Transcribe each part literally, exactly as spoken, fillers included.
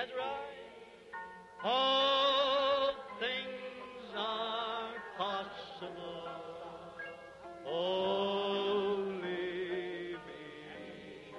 That's right. All things are possible. Only believe.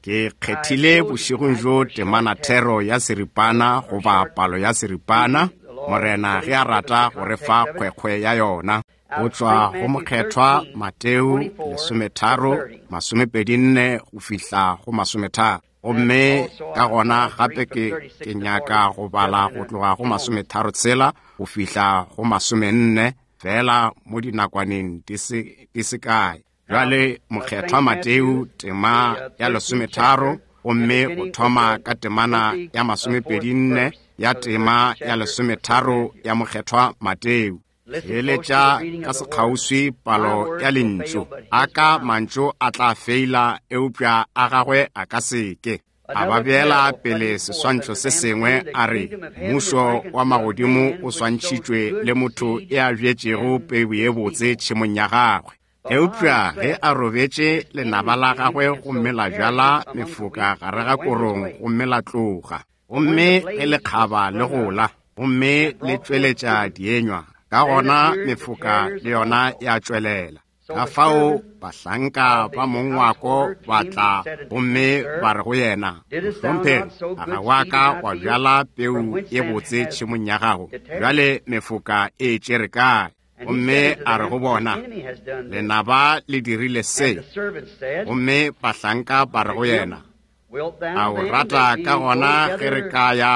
Ke kgethile bošegong bjo temana thero ya seripana goba palo ya seripana, Morena ge a rata go re fa kgwekgwe ya yona. Go tšwa go Mokgethwa Mateo lesometharo masomepedi nne go fihla go masometharo. Gomme ka gona gape ke ke nyaka go bala go tloga go masometharo tshela go fihla go masomenne fela mo dinakwaneng di se di se kae. Bjale Mokgethwa Mateo tema ya lesometharo gomme go thoma ka temana ya masomepedi nne ya tema ya lesometharo ya Mokgethwa Mateo. Theeletša ka sekgauswi palo ya lentšu. A ka mantšu a tla feila, eupša a gagwe a ka seke. A ba beela pele seswantšho se sengwe a re, mmušo wa magodimo o swantšhitšwe le motho e a bjetšego peu ye botse tšhemong ya gagwe. Eupša ge a robetše lenaba la gagwe gomme la bjala mefoka gare ga korong gomme la tloga. Gomme ge lekgaba le gola, gomme le tšweletša dienywa, ka gona mefoka le yona ya tšwelela. Ka fao bahlanka ba mongwako ba tla gomme ba re go yena, Mohlomphegi, a ga wa ka wa bjala peu ye botse tšhemong ya gago? Bjale mefoka e tšere kae? Gomme a re go bona, lenaba le dirile se. Gomme bahlanka ba re go yena, a o rata ka gona ge re ka ya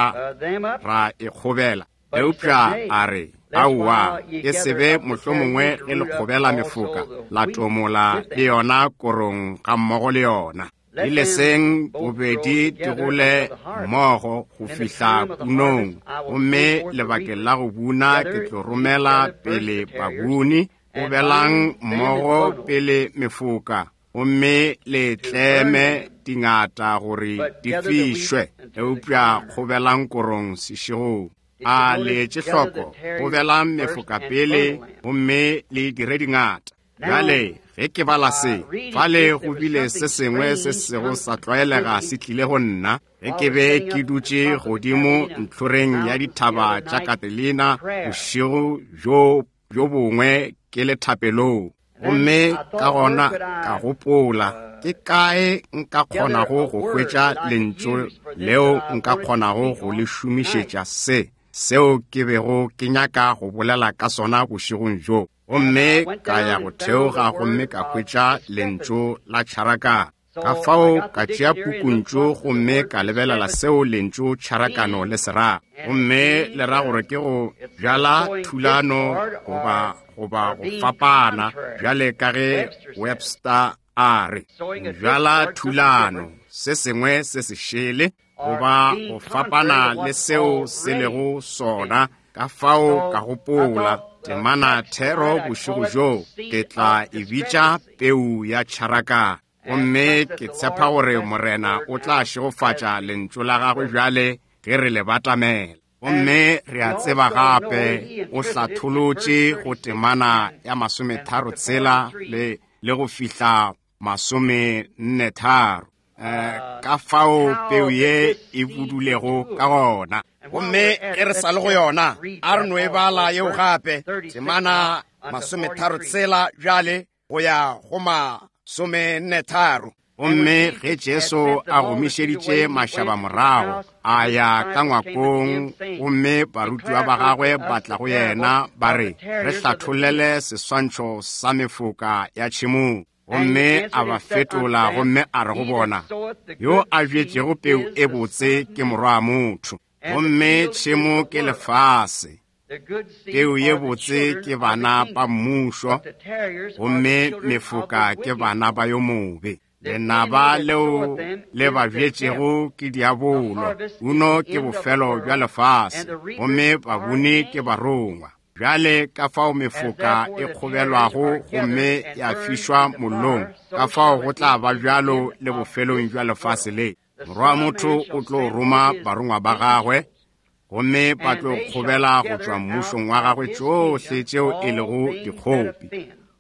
ra e kgobela? Eupša a re, aowa, e se be mohlomongwe ge le kgobela mefoka la tomola le yona korong ga mmogo le yona. Di leseng bobedi di gole mmogo go fihla punong, gomme lebakeng la go buna ke tlo romela pele babuni. Gobelang mmogo pele mefoka, gomme le tleme dingata gore di fišwe, eupša kgobelang korong sešegong. A le etše hloko, gobelang mefoka pele, gomme le dire dingata. Bjale ge ke bala se, fale go bile se sengwe se sego sa tlwaelega se tlile go nna. Ge ke be ke dutše godimo ntlhoreng ya dithaba tša Catalina bošego bjo bjo bongwe ke le thapelong, gomme ka gona ka gopola, ke kae nka kgonago go hwetša lentšu leo nka kgonago go le šomišetša se seo ke bego ke nyaka go bolela ka sona bošegong bjo. Gomme ka ya go theoga gomme ka hwetša lentšu la tšharakano. Ka fao ka tšea pukuntšu gomme ka lebelela seo lentšu tšharakano le se rago. Gomme le ra gore ke go bjala thulano goba goba go fapana, bjale ka ge Webster a re, go bjala thulano, se sengwe se se šele, goba go fapana le seo se lego sona. Ka fao ka gopola temana thero bošego bjo ke tla e bitša peu ya tšharakano. Gomme ke tshepa gore Morena o tla šegofatša lentšu la gagwe bjale ge re le batamela. Gomme re a tseba gape o hlatholotše go temana ya masometharo tshela le le go fihla masomenne tharo, eh, ka fao peu ye e budulego ka gona. Gomme ge re sa le go yona, a re no e bala yeo gape, temana masometharo tshela bjale go ya go masomenne tharo. Gomme ge Jesu a gomišeditše mašaba morago, a ya ka ngwakong, gomme barutiwa ba gagwe ba tla go yena ba re, re hlathollele seswantšho sa mefoka ya tšhemong. Gomme a ba fetola gomme a re go bona, yo a bjetšego peu e botse ke morwa wa motho, gomme tšhemo ke lefase. Peu ye botse ke bana ba mmušo, gomme mefoka ke bana ba yo mobe. Lenaba leo le ba bjetšego ke diabolo, uno ke bofelo bja lefase, gomme babuni ke barongwa. Bjale ka fao mefoka e kgobelwago gomme ya fišwa mollong, ka fao go tla ba bjalo le bofelong bja lefase le. Morwa wa motho o tlo roma barongwa ba gagwe, gomme ba tlo kgobela go tšwa mmušong wa gagwe tšohle tšeo e lego dikgopi,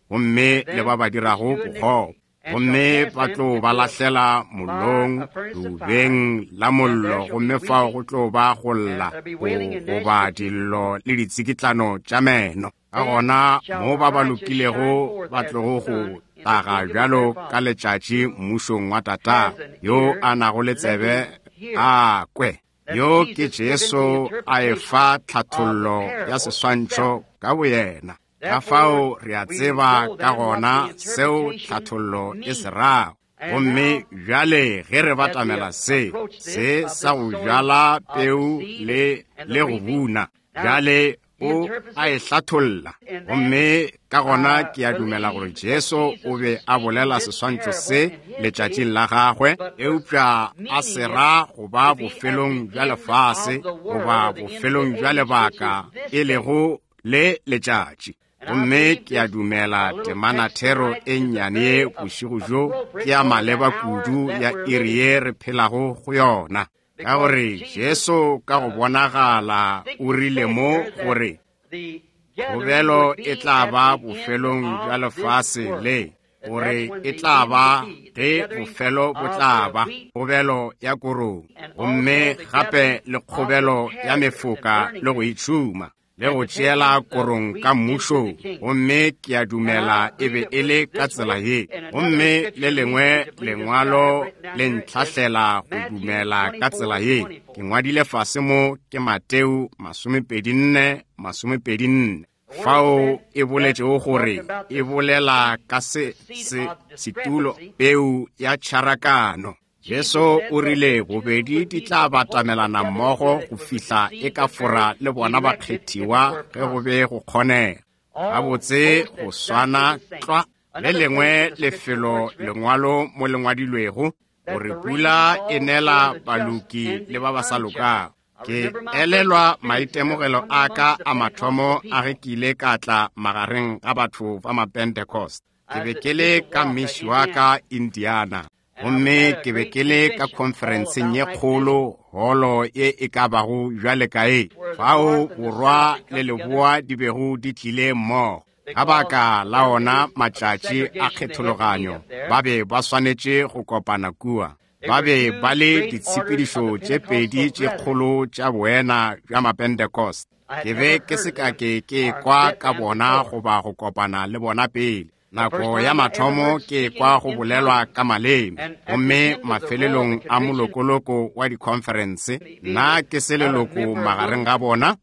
gomme le ba ba dirago bokgopo. Gomme ba tlo ba lahlela mollong, leubeng la mollo, gomme fao go tlo ba go lla, goba dillo le ditsikitlano tša meno. Ka gona mo ba ba lokilego ba tlogo go taga bjalo ka letšatši mmušong wa Tatago. Yo a nago le tsebe a kwe. Yo ke Jesu a efa tlhathollo ya seswantšho ka boyena. Ka fao re a tseba ka gona seo tlhathollo e se rago. Gomme bjale ge re batamela se, se sa go bjala peu le le go buna, bjale o a e hlatholla. Gomme ka gona ke a dumela gore Jesu o be a bolela seswantšho se letšatšing la gagwe, eupša a se ra go ba bofelong bja lefase goba bofelong bja lebaka e lego le letšatši. Gomme ke a dumela temanathero e nnyane ye bošego bjo ke ya maleba kudu ya iri ye re phelago go yona. Ka gore Jesu ka go bonagala o rile mo gore kgobelo e tla ba bofelong bja lefase le, gore e tla ba ge bofelo bo tla ba kgobelo ya korong, gomme gape le kgobelo ya mefoka le go itšhuma le go tšeela korong ka mmušong. Gomme ke a dumela e be e le ka tsela ye. Gomme le lengwe lengwalo le ntlhahlela go dumela ka tsela ye. Ke ngwadile fase mo ke Mateo masomepedi nne masomepedi nne, fao e boletšego gore e bolela ka se se setulo peu ya tšharakano. Jesu o rile bobedi di tla batamelana mmogo go fihla e ka fora le bona bakgethiwa ge go be go kgonega. Gabotse go swana tlwa le lengwe lefelo lengwalo mo le ngwadilwego gore pula e nela baloki le ba ba sa lokago. Ke elelwa maitemogelo a ka a mathomo a ge ke ile ka tla magareng ga batho ba Mapentecost. Ke be ke le ka Mishwaka, Indiana. Gomme ke be ke le ka khonferenseng ye kgolo, holo ye e ka bago bjale ka e, fao borwa le leboa di bego di tlile mmogo. Ka baka la ona matšatši a kgethologanyo, ba be ba swanetše go kopana kua. Ba be ba le ditshepedišo tše pedi tše kgolo tša boena bja Mapentecost. Ke be ke se ka ke ke kwa ka bona goba go kopana le bona pele. Nako ya mathomo ke kwa go bolelwa ka maleme, gomme mafelelong a molokoloko wa dikhonferense, nna ke se leloko magareng ga bona.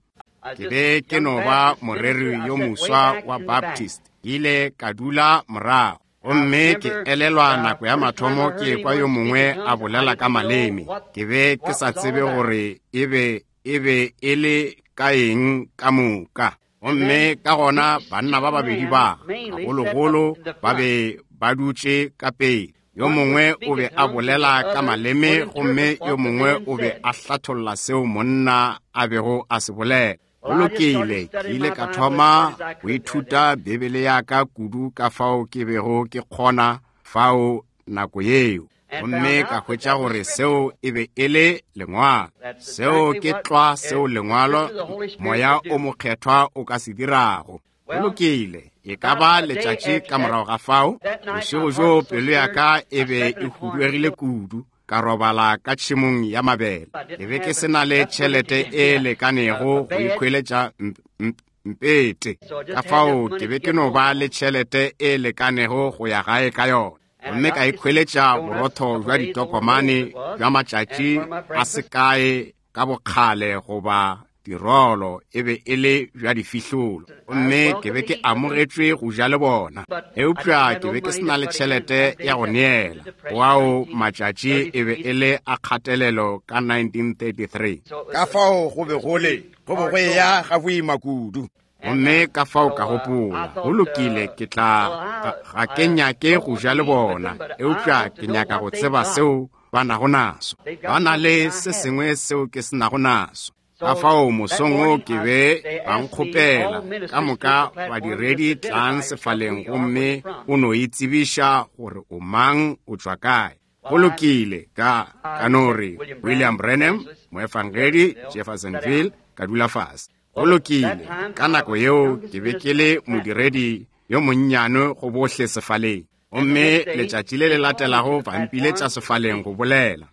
Ke be ke no ba moreri yo moswa wa Baptist, ke ile ka dula morago. Gomme ke elelwa nako ya mathomo ke kwa yo mongwe a bolela ka maleme. Ke be ke sa tsebe gore e be e be e le ka eng ka moka. Gomme ka gona banna ba babedi ba gagologolo ba be ba dutše ka pele. Yo mongwe o be a bolela ka maleme, gomme yo mongwe o be a hlatholla seo monna a bego a se bolela. Go lokile, ke ile ka thoma go ithuta Bibele ya ka kudu ka fao ke bego ke kgona fao nako yeo. Gomme ka hwetša gore seo e be e le lengwalo. Seo ke tlwa seo lengwalo moya o mokgethwa o ka se dirago. Go lokile, e ka ba letšatši ka morago ga fao, bošego bjo pelo ya ka e be e huduegile kudu, ka robala ka tšhemong ya mabele. Ke be ke se na le tšhelete e lekanego go ikhweletša mpete. Ka fao ke be ke no ba le tšhelete e lekanego go ya gae ka yona. Gomme ka ikhweletša borotho bja ditokomane bja matšatši a se kae ka bokgale goba dirolo, e be e le bja difihlolo. Gomme ke be ke amogetšwe go ja le bona, eupša ke be ke se na le tšhelete ya go neela. Ao matšatši e be e le a kgatelelo ka nineteen thirty-three. Ka fao go be go le, go be go eya ga boima kudu. Gomme ka fao ka gopola, go lokile, ke tla ga ke nyake go ja le bona, eupša ke nyaka go tseba seo ba nago naso. Ba na le se sengwe seo ke se nago naso. Ka fao mosong wo ke be ba nkgopela ka moka badiredi tlang sefaleng, gomme o no itsebiša gore o mang, o tšwa kae. Go lokile, ka ka no re William Branham, moefangedi Jeffersonville, ka dula fase. Go lokile, ka nako yeo ke be ke le modiredi yo monnyane go bohle sefaleng. Gomme letšatši le le latelago ba mpiletša sefaleng go bolela.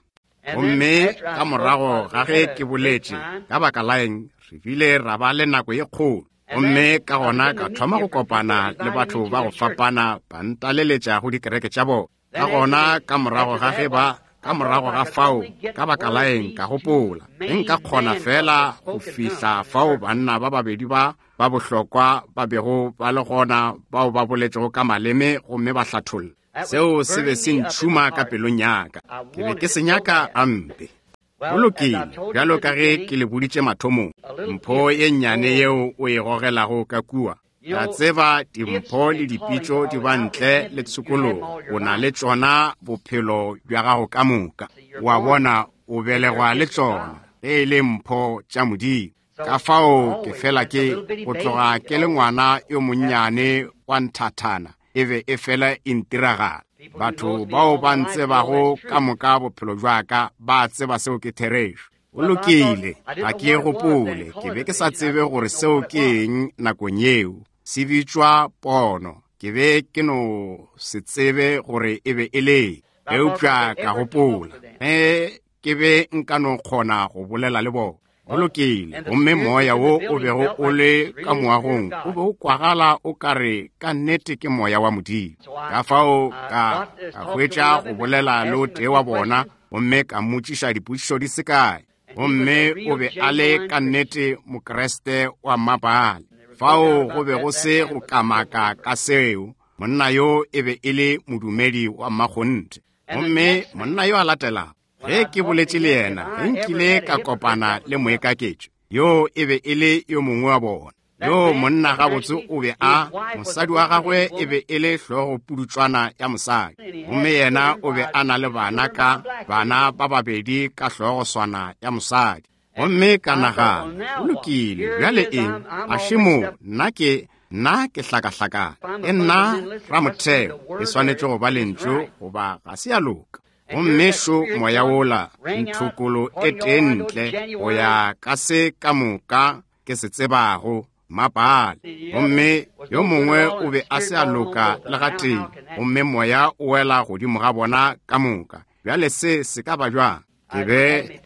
Gomme ka morago ga ge ke boletše, ka baka la eng, re bile ra ba le nako ye kgolo. Gomme ka gona ka thoma go kopana le batho ba go fapana ba ntaleletša go dikereke tša bona. Ka gona ka morago ga ge ba ka morago ga fao, ka baka la eng, ka gopola ge nka kgona fela go fihla fao banna ba babedi ba ba bohlokwa ba bego ba le gona bao ba boletšego ka maleme gomme ba hlatholla. Seo se be se ntšhuma ka pelong ya ka. Ke be ke se nyaka gampe. Go lokile, bjalo ka ge ke le boditše mathomong, mpho ye nnyane yeo o e gogelago ka kua. La tseba dimpho le dipitšo di ba ntle le tshokologo. O na le tšona bophelo bja gago ka moka. Wa bona, o belegwa le tšona, ge e le mpho tša Modimo. Ka fao ke fela ke go tloga ke le ngwana yo monnyane wa nthathana, e be e fela e ntiragala. Batho bao ba ntsebago ka moka bophelo bja ka ba tseba seo ke therešo. Go lokile, ga ke gopole, ke be ke sa tsebe gore seo ke eng nakong yeo. Se bitšwa pono. Ke be ke no se tsebe gore e be e le. Eupša ka gopola ge ke be nka no kgona go bolela le bona. Go lokile, gomme moya wo o bego o le ka moagong o be o kwagala o ka re ka nnete ke moya wa Modimo. Ka fao ka ka hwetša go bolela le o tee wa bona, gomme ka mmotšiša dipotšišo di se kae. Gomme o be a le ka nnete Mokriste wa mmapaale. Fao go be go se go kamaka ka seo, monna yo e be e le modumedi wa mmakgonthe. Gomme monna yo a latelago, ge ke boletše le yena, ge nkile ka kopana le moekaketšo, yo e be e le yo mongwe wa bona. Yo monna gabotse o be a, mosadi wa gagwe e be e le hlogo pudutšwana ya mosadi. Gomme yena o be a na le bana ka, bana ba babedi ka hlogo swana ya mosadi. Gomme ka nagana, go lokile, bjale eng, a šemo, nna ke, nna ke hlakahlakane. E nna ramotheo, e swanetše go ba lentšu goba ga se ya loka. Gomme šo moya wola, nthokolo e tee ntle, go ya ka se ka moka ke se tsebago, mapale. Gomme yo mongwe o be a se a loka le gatee, gomme moya o wela godimo ga bona ka moka. Bjale se se ka ba bjang? Ke be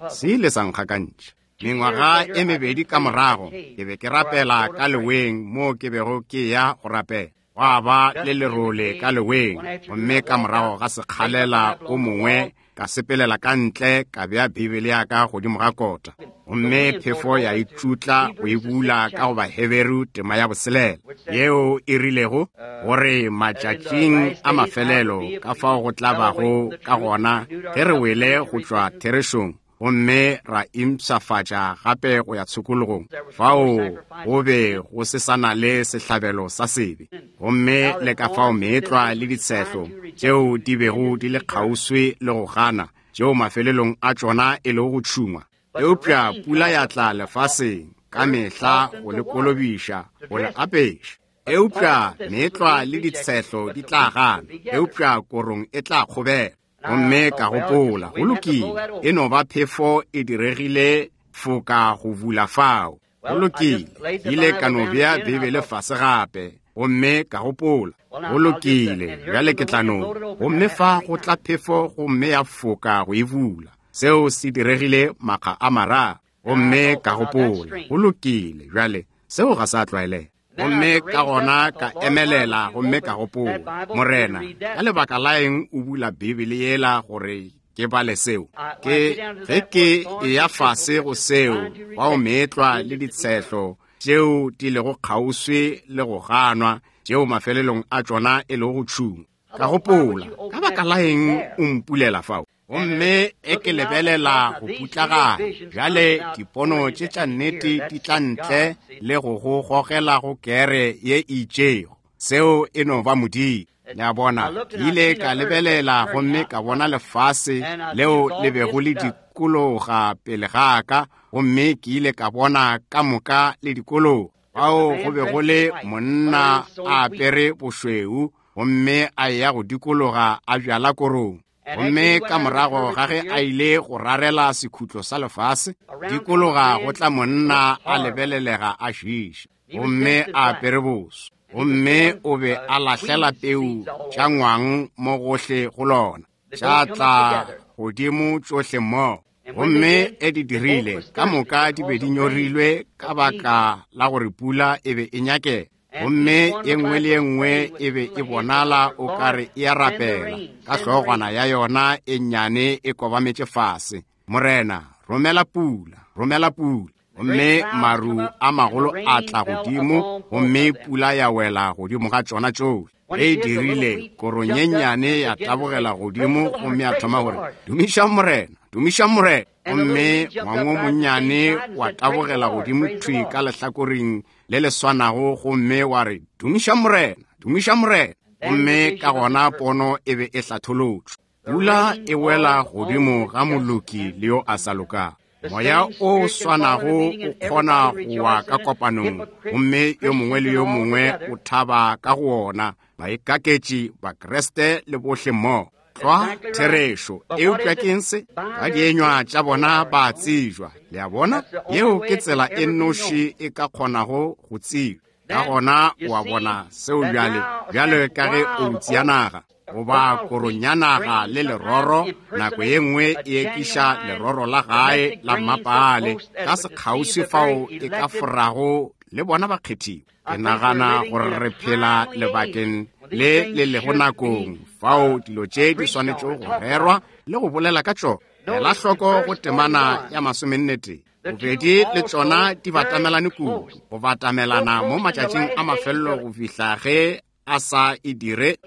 se ile sa nkgakantšha. Mengwaga e mebedi ka morago, ke be ke rapela ka leweng moo ke bego ke ya go rapela. Gwa ba le lerole ka leweng, gomme ka morago ga sekgalela o mongwe ka sepelela ka ntle ka bea Bibele ya ka godimo ga kota. Gomme phefo ya itšutla go e bula ka go Baheberu tema ya boselela, yeo e rilego gore matšatšing a mafelelo ka fao go tla bago ka gona ge re wele go tšwa therešong, gomme ra impshafatša gape go ya tshokologong. Fao go be go se sa na le sehlabelo sa sebe. Gomme le ka fao meetlwa le ditshehlo tšeo di bego di le kgauswi le go gana, tšeo mafelelong a tšona e lego go tšhungwa. Eupša pula ya tla lefaseng ka mehla go le kolobiša, go le apeša. Eupša meetlwa le ditshehlo di tla gana, eupša korong e tla kgobela. Gomme ka gopola, go lokile, e no ba phefo e diregile foka go bula fao. Go lokile, ile ka no bea Bibele fase gape, gomme ka gopola, go lokile, bjale ke tla no. Gomme fa go tla phefo gomme ya foka go e bula. Seo se diregile makga a mararo. Gomme ka gopola, go lokile, bjale seo ga sa tlwaelega. Gomme ka gona ka emelela gomme ka gopola, Morena, ka lebaka la eng o bula Bibele yela gore ke bale seo? Ke ge ke eya fase go seo, bao meetlwa le ditshehlo tšeo di lego kgauswi le go ganwa, tšeo mafelelong a tšona e lego go tšhungwa. Ka gopola, ka baka la eng o mpulela fao? Gomme e ke lebelela go putlagana. Bjale dipono tše tša nnete di tla ntle le go go gogela go kere ye e itšego. Seo e no ba Modimo. Le a bona, ke ile ka lebelela gomme ka bona lefase leo le bego le dikologa pele ga ka, gomme ke ile ka bona ka moka le dikologa. Fao go be go le monna a apere bošweu, gomme a ya go dikologa a bjala korong. Gomme ka morago ga ge a ile go rarela sekhutlo sa lefase, dikologa go tla monna a lebelelega a šiša, gomme a apere boso. Gomme o be a lahlela peu tša ngwang mo gohle go lona, tša tla godimo tšohle mmogo. Gomme e di dirile, ka moka di be di nyorilwe ka baka la gore pula e be e nyakega. Gomme ye nngwe le ye nngwe e be e bonala o kare e a rapela, ka hlogwana ya yona e nnyane e kobametše fase. Morena, romela pula, romela pula. Gomme maru a magolo a tla godimo, gomme pula ya wela godimo ga tšona tšohle. Ge e dirile, korong ye nnyane ya tabogela godimo, gomme ya thoma gore, dumiša Morena, dumiša Morena. Gomme ngwango monnyane wa tabogela godimo thwi ka lehlakoreng le le swanago, gomme wa re, dumiša Morena, dumiša Morena. Gomme ka gona pono e be e hlatholotšwe. Pula e wela godimo ga moloki le yo a sa lokago. Moya o swanago o kgona go wa ka kopanong, gomme yo mongwe le yo mongwe o thaba ka go ona, baikaketši, Bakreste le bohle mmogo. Tlwa therešo, eupša ke eng se? Ka dienywa tša bona ba tsejwa. Le a bona? Yeo ke tsela e nnoši e ka kgonago go tsejwa. Ka gona o a bona seo bjale, bjale ka ge outse ya naga goba korong ya naga le leroro, nako ye nngwe e ekiša leroro la gae la mmapale ka sekgauswi fao e ka forago le bona bakgethiwa. Ke nagana gore re phela lebakeng le le lego nakong fao dilo tše di swanetšego go rerwa le go bolela ka tšona. Ela hloko go temana ya masomenne tee. Bobedi le tšona di batamelane kudu, go batamelana mo matšatšing a mafelelo go fihla ge a sa e dire,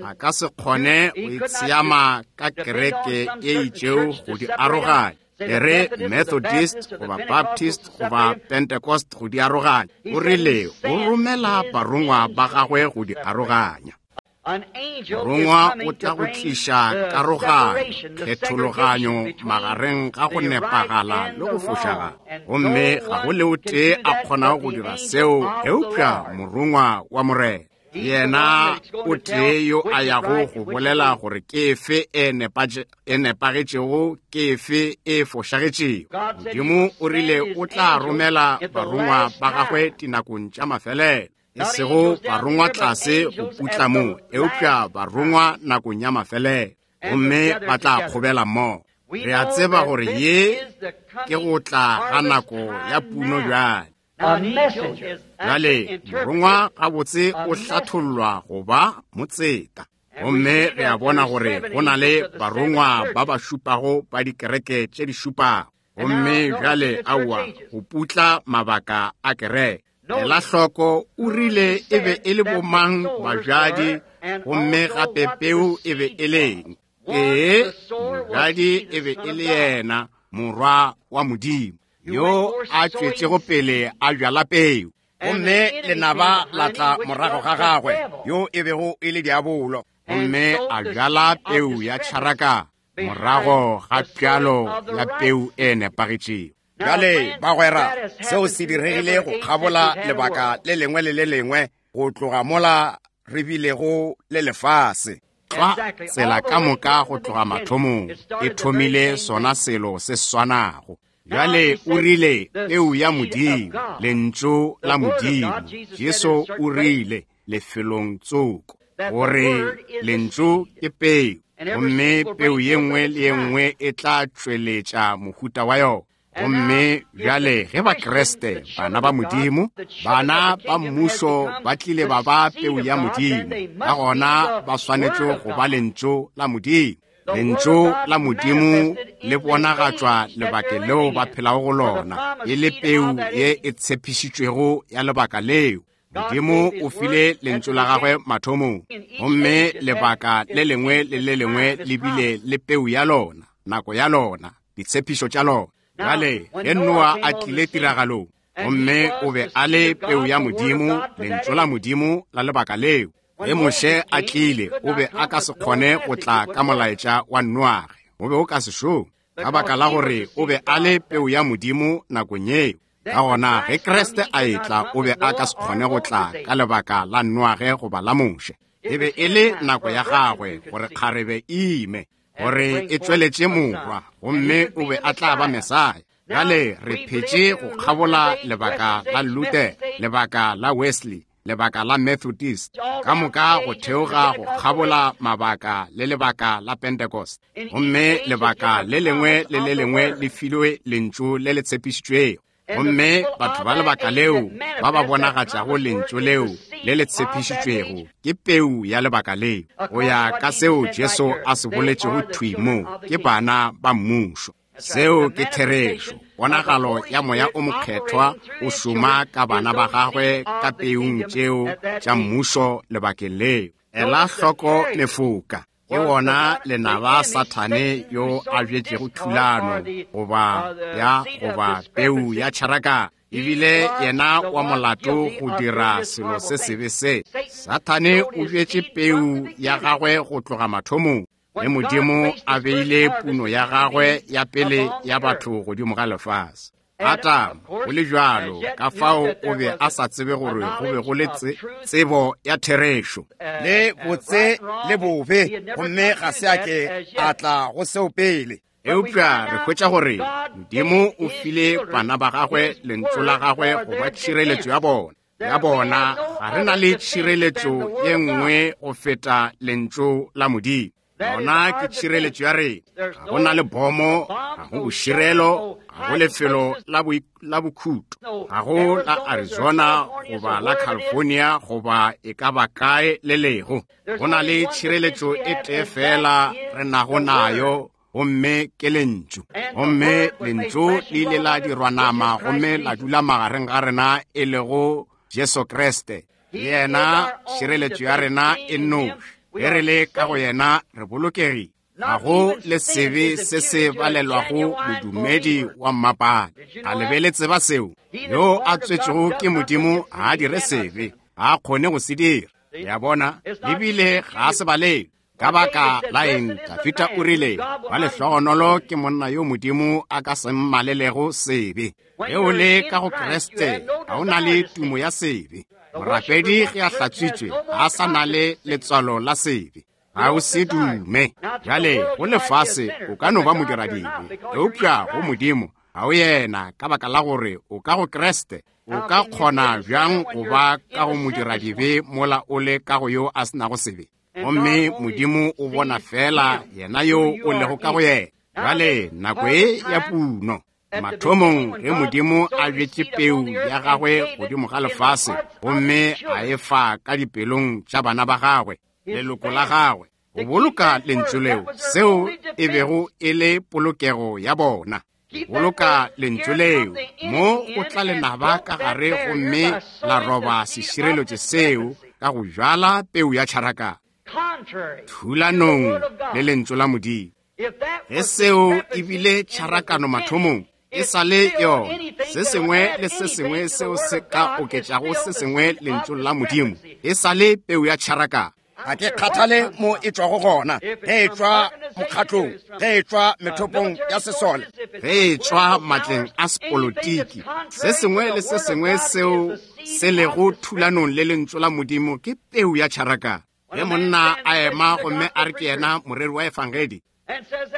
a ka se kgone go itshiama ka kereke e itšego go di aroganya. E re Methodist goba Baptist goba Pentecost go di aroganya. O rile o romela barongwa ba gagwe go di aroganya. Morongwa o tla go tliša karoganyo, kgethologanyo magareng ga go nepagala le go fošagala. Gomme ga go le o tee a kgonago go dira seo eupša morongwa wa Morena. Yena o tee yo a yago go bolela gore ke efe e nepagetšego, ke efe e fošagetšego. Modimo o rile o tla romela barongwa ba gagwe dinakong tša mafelelo, e sego barongwa tlase go putla mo, eupša barongwa nakong ya mafelelo, gomme ba tla kgobela mmogo. Re a tseba gore ye ke go tla ga nako ya puno bjale. Bjale morongwa gabotse o hlathollwa go ba motseta. Gomme re a bona gore go na le barongwa ba ba šupago ba dikereke tše di šupago. Gomme bjale aowa, go putla mabaka a kereke. Ela hloko, o rile e be e le bomang bajadi, gomme gape peu e be e leng. Ee, mojadi e be e le yena, morwa wa Modimo, yo a tšwetšego pele a bjala peu. Gomme lenaba la tla morago ga gagwe, yo e bego e le diabolo, gomme a bjala peu ya tšharaka morago ga pjalo ya peu e nepagetšego. Bjale bagwera, seo se diregile go kgabola lebaka le lengwe le le lengwe go tloga mola re bilego le lefase. Tlwa tsela ka moka go tloga mathomong e thomile sona selo se swanago. Bjale o rile peu ya Modimo, lentšu la Modimo. Jesu o rile lefelong tsoko gore lentšu ke peu, gomme peu ye nngwe le ye nngwe e tla tšweletša mohuta wa yona. Gomme bjale ge Bakreste, bana ba Modimo, bana ba mmušo ba tlile ba ba peu ya Modimo, ka gona ba swanetše go ba lentšu la Modimo. Lentšu la Modimo le bonagatšwa lebakeng leo ba phelago go lona, e le peu ye e tshepišitšwego ya lebaka leo. Modimo o file lentšu la gagwe mathomong, gomme lebaka le lengwe le le lengwe le bile le peu ya lona, nako ya lona, ditshepišo tša lona. Bjale ge Noa a tlile tiragalong, gomme o be a le peu ya Modimo, lentšu la Modimo la lebaka leo. Ge Moshe a tlile, o be a ka se kgone go tla ka molaetša wa Noage, o be o ka se šome, ka baka la gore o be a le peu ya Modimo nakong yeo. Ka gona ge Kriste a etla, o be a ka se kgone go tla ka lebaka la Noage goba la Moshe. E be e le nako ya gagwe gore kgarebe e ime, gore e tšweletše morwa, gomme o be a tla ba Mesaya. Bjale re phetše go kgabola lebaka la Luther, lebaka la Wesley, lebaka la Methodist, ka moka go theoga go kgabola mabaka le lebaka la Pentecost. Gomme lebaka le lengwe le le lengwe le filwe lentšu le le tshepišitšwego. Gomme batho ba lebaka leo ba ba bonagatšago lentšu leo le le tshepišitšwego ke peu ya lebaka leo, go ya ka seo Jesu a se boletšego thwi mo, ke bana ba mmušo. Seo ke therešo. Ponagalo ya Moya o Mokgethwa o šoma ka bana ba gagwe ka peung tšeo tša mmušo lebakeng leo. Ela hloko mefoka. Ke wona lenaba Sathane yo a bjetšego thulano goba ya goba peu ya tšharakano. Ebile yena wa molato go dira selo se sebe se. Sathane o bjetše peu ya gagwe go tloga mathomong. Le Modimo a beile puno ya gagwe ya pele ya batho godimo ga lefase. Adam, go le bjalo, ka fao o be a sa tsebe gore go be go le tsebo ya therešo le botse le bobe, gomme ga se a ke a tla go seo pele. Eupša re hwetša gore Modimo o file bana ba gagwe lentšu la gagwe go ba tšhireletšo ya bona. Ya bona ga re na le tšhireletšo ye nngwe go feta lentšu la Modimo. Yona ke tšhireletšo ya rena. Ga go na le bomo, ga go boširelo, ga go lefelo la bokhuto, ga go la Arizona goba la California goba e ka ba kae le lego. Go na le tšhireletšo e tee fela re nago nayo, gomme ke lentšu. Gomme lentšu le ile la dirwa nama gomme la dula magareng ga rena, e lego Jesu Kriste. Yena tšhireletšo ya rena e nnoši. Ge re le ka go yena re bolokegile. Ga go le sebe se se balelwago modumedi wa mmapale. A le be le tseba seo? Yo a tswetšego ke Modimo ga a dire sebe, ga a kgone go se dira. Ya bona, ebile ga a se balelwe. Ka baka la eng Dafita o rile, ba lehlogonolo ke monna yo Modimo a ka se mmalelego sebe. Ge o le ka go Kriste, ga o na le tumo ya sebe. Morapedi ge a hlatswitšwe ga a sa na le letswalo la sebe. Ga o se dume. Bjale go lefase o ka no ba modiradibe, eupša go Modimo ga o yena, ka baka la gore o ka go Kriste. O ka kgona bjang go ba ka go modiradibe mola o le ka go yo a se nago sebe? Gomme Modimo o bona fela yena yo o lego ka go yena. Bjale nako e ya puno. Mathomong ge Modimo a bjetše peu ya gagwe godimo ga lefase gomme a e fa ka dipelong tša bana ba gagwe, leloko la gagwe, go boloka lentšu leo, seo e bego e le polokego ya bona. Boloka lentšu leo, mo go tla lenaba ka gare gomme la roba sešireletšo seo ka go bjala peu ya tšharakano thulanong le lentšu la Modimo. Ge seo e bile tšharakano mathomong, e sa le yona. Se sengwe le se sengwe seo se ka oketšago se sengwe lentšung la Modimo, e sa le peu ya tšharakano. Ga ke kgathale mo e tšwago gona, ge e tšwa mokgatlong, ge e tšwa methopong ya sesole, ge e tšwa matleng a sepolotiki, se sengwe le se sengwe seo se lego thulanong le lentšu la Modimo ke peu ya tšharakano. Ge monna a ema gomme a re ke yena moreri wa efangedi,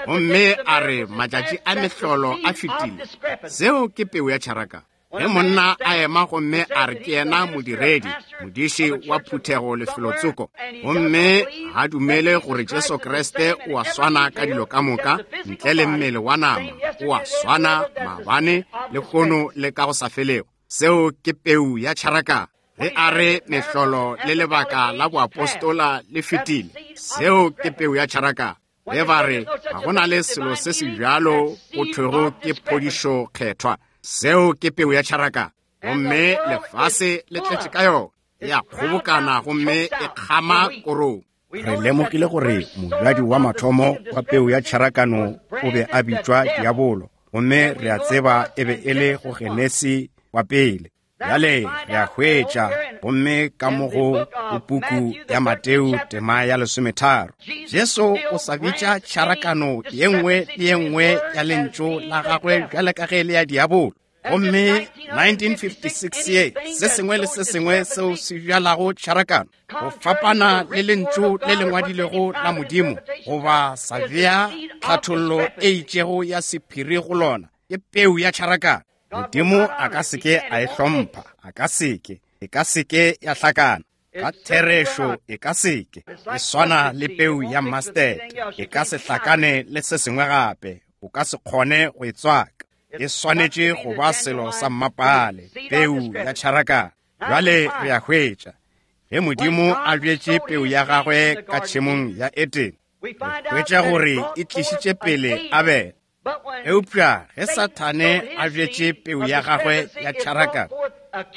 gomme a re matšatši a mehlolo a fetile, seo ke peu ya tšharakano. Ge monna a ema gomme a re ke yena modiredi, modiši wa phuthego lefelotsoko, gomme ga dumele gore Jesu Kriste o a swana ka dilo ka moka ntle le mmele wa nama, o a swana maabane lehono le ka go sa felego, seo ke peu ya tšharakano. Ge a re mehlolo le lebaka la boapostola le fetile, seo ke peu ya tšharakano. Ge ba re ga go na le selo se se bjalo go thwego ke phodišo kgethwa, seo ke peu ya tšharakano. Gomme lefase le tletše ka yona, ya kgobokana gomme e kgama korong. Re lemogile gore mojadi wa mathomo wa peu ya tšharakano o be a bitšwa Diabolo, gomme re a tseba e be e le go Genesi wa pele. Bjale re a hwetša gomme ka mo go puku ya Mateo tema ya lesometharo, Jesu o sa bitša tšharakano ye nngwe le ye nngwe ya lentšu la gagwe bjale ka ge le ya Diabolo. Gomme nineteen fifty-six ye, se sengwe le se sengwe seo se bjalago tšharakano go fapana le lentšu le le ngwadilego la Modimo goba sa bea tlhathollo e itšego ya sephiri go lona, ke peu ya tšharakano. Modimo a ka se ke a e hlompha, a ka se ke. E ka seke ya hlakana. Ka therešo e ka seke. E swana le peu ya mustard. E ka se hlakane le se sengwe gape. O ka se kgone go e tswaka. E swanetše go ba selo sa mmapale, peu ya tšharakano. Bjale re a hwetša ge Modimo a bjetše peu ya gagwe ka tšhemong ya Edene, re hwetša gore e tlišitše pele Abele. Eupša ge Sathane a bjetše peu ya gagwe ya tšharakano,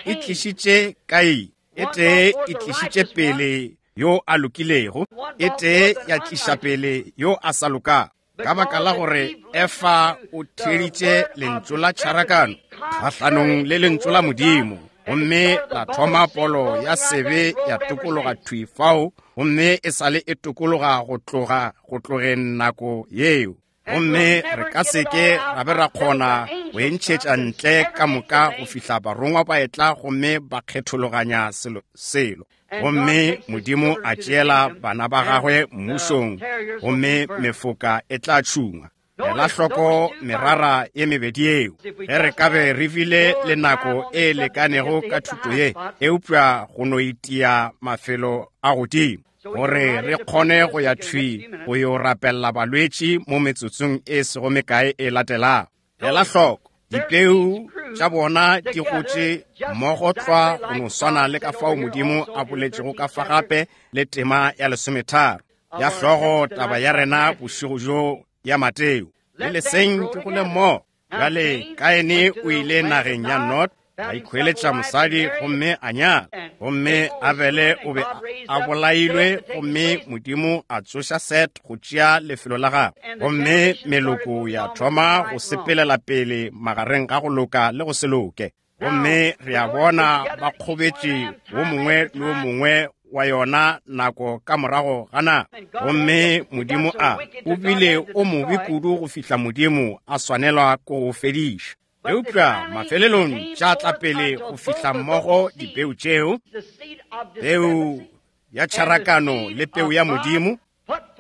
e tlišitše Kaine. E tee e tlišitše pele yo a lokilego, e tee ya tliša pele yo a sa lokago. Ka baka la gore Efa o theeditše lentšu la tšharakano kgahlanong le lentšu la Modimo, gomme la thoma polo ya sebe ya tokologa thwi fao, gomme e sale e tokologa go tloga go tlogeng nako yeo. Gomme re ka seke ra be ra kgona go e ntšhetša ntle ka moka go fihla barongwa ba etla gomme ba kgethologanya selo selo. Gomme Modimo a tšeela bana ba gagwe mmušong, gomme mefoka e tla tšhungwa. Ela hloko merara ye mebedi yeo. Ge re ka be re bile le nako e lekanego ka thuto ye, eupša go no itia mafelo a godimo gore re kgone go ya thwi go yo rapella balwetši mo metsotsong e sego mekae e latelago. Ela hloko, dipeu tša bona di gotše mmogo tlwa go no swana le ka fao Modimo a boletšego ka fa gape le tema ya lesometharo ya hlogo taba ya rena bošego bjo ya Mateo. Le leseng ke gole mmogo. Bjale Kaine o ile nageng ya Nod, a ikhweletša mosadi gomme a nyala. Gomme Abele o be a bolailwe, gomme Modimo a tsoša Set go tšea lefelo la gagwe. Gomme meloko ya thoma go sepelela pele magareng ga go loka le go se loke. Gomme re a bona ba kgobetše wo mongwe le wo mongwe wa yona nako ka morago ga nako. Gomme Modimo a o bile o mobe kudu go fihla Modimo a swanelwa ke go fediša. Eupša mafelelong tša tla pele go fihla mmogo dipeu tšeo, peu ya tšharakano le peu ya Modimo,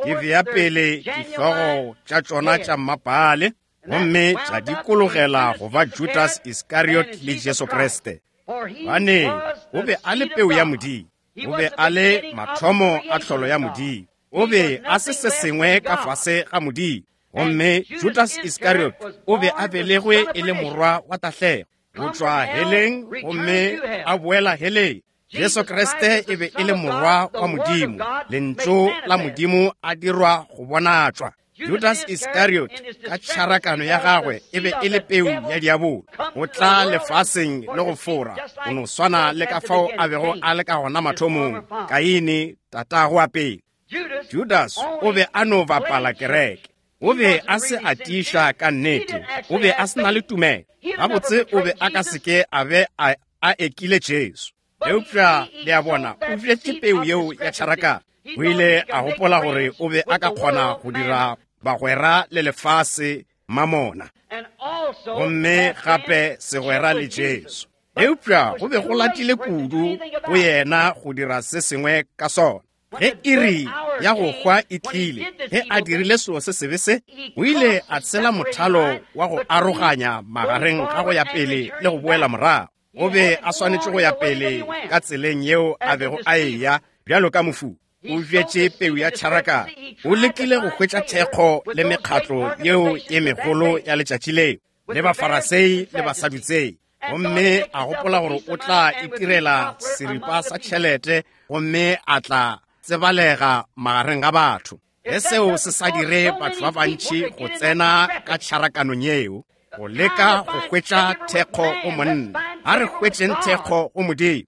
di bea pele dihlogo tša tšona tša mmapale, gomme tša dikologela go ba Judas Iskariot le Jesu Kriste. Bane o be a le peu ya Modimo, o be a le mathomo a tlholo ya Modimo, o be a se se sengwe ka fase ga Modimo. Gomme Judas Iskariot o be a belegwe e le morwa wa tahlego, go tšwa heleng gomme a boela heleng. Jesu Kriste e be e le morwa wa Modimo, lentšu la Modimo a dirwa go bonatšwa. Judas Iskariot ka tšharakano ya gagwe e be e le peu ya diabolo, go tla lefaseng le go fora, go no swana le ka fao a bego a le ka gona mathomong, Kaine tatago wa pele. Judas o be a no bapala kereke. O be a se a tiiša ka nnete, o be a se na le tumelo. Gabotse o be a ka seke a be a, a ekile Jesu. Eupša le a bona, o bjetše peu yeo ya tšharakano. O ile a gopola gore o be a ka kgona go dira bagwera le lefase mamona, gomme gape segwera le Jesu. Eupša go be go latile kudu go yena go dira se sengwe ka sona. Ge iri ya go hwa e tlile, ge a dirile selo se sebe se, o ile a tshela mothalo wa go aroganya magareng ga go ya pele le go boela morago. O be a swanetše go ya pele ka tseleng yeo a bego a eya bjalo ka mofu. O bjetše peu ya tšharakano. O lekile go hwetša thekgo le mekgatlo yeo ye megolo ya letšatši leo, le Bafarasei le Basadutsei. Gomme a gopola gore o tla itirela seripa sa tšhelete gomme a tla tsebalega magareng ga batho. Ge seo se sa dire batho ba bantši go tsena ka tšharakanong yeo, go leka go hwetša thekgo go monna, a re hwetšeng thekgo go Modimo,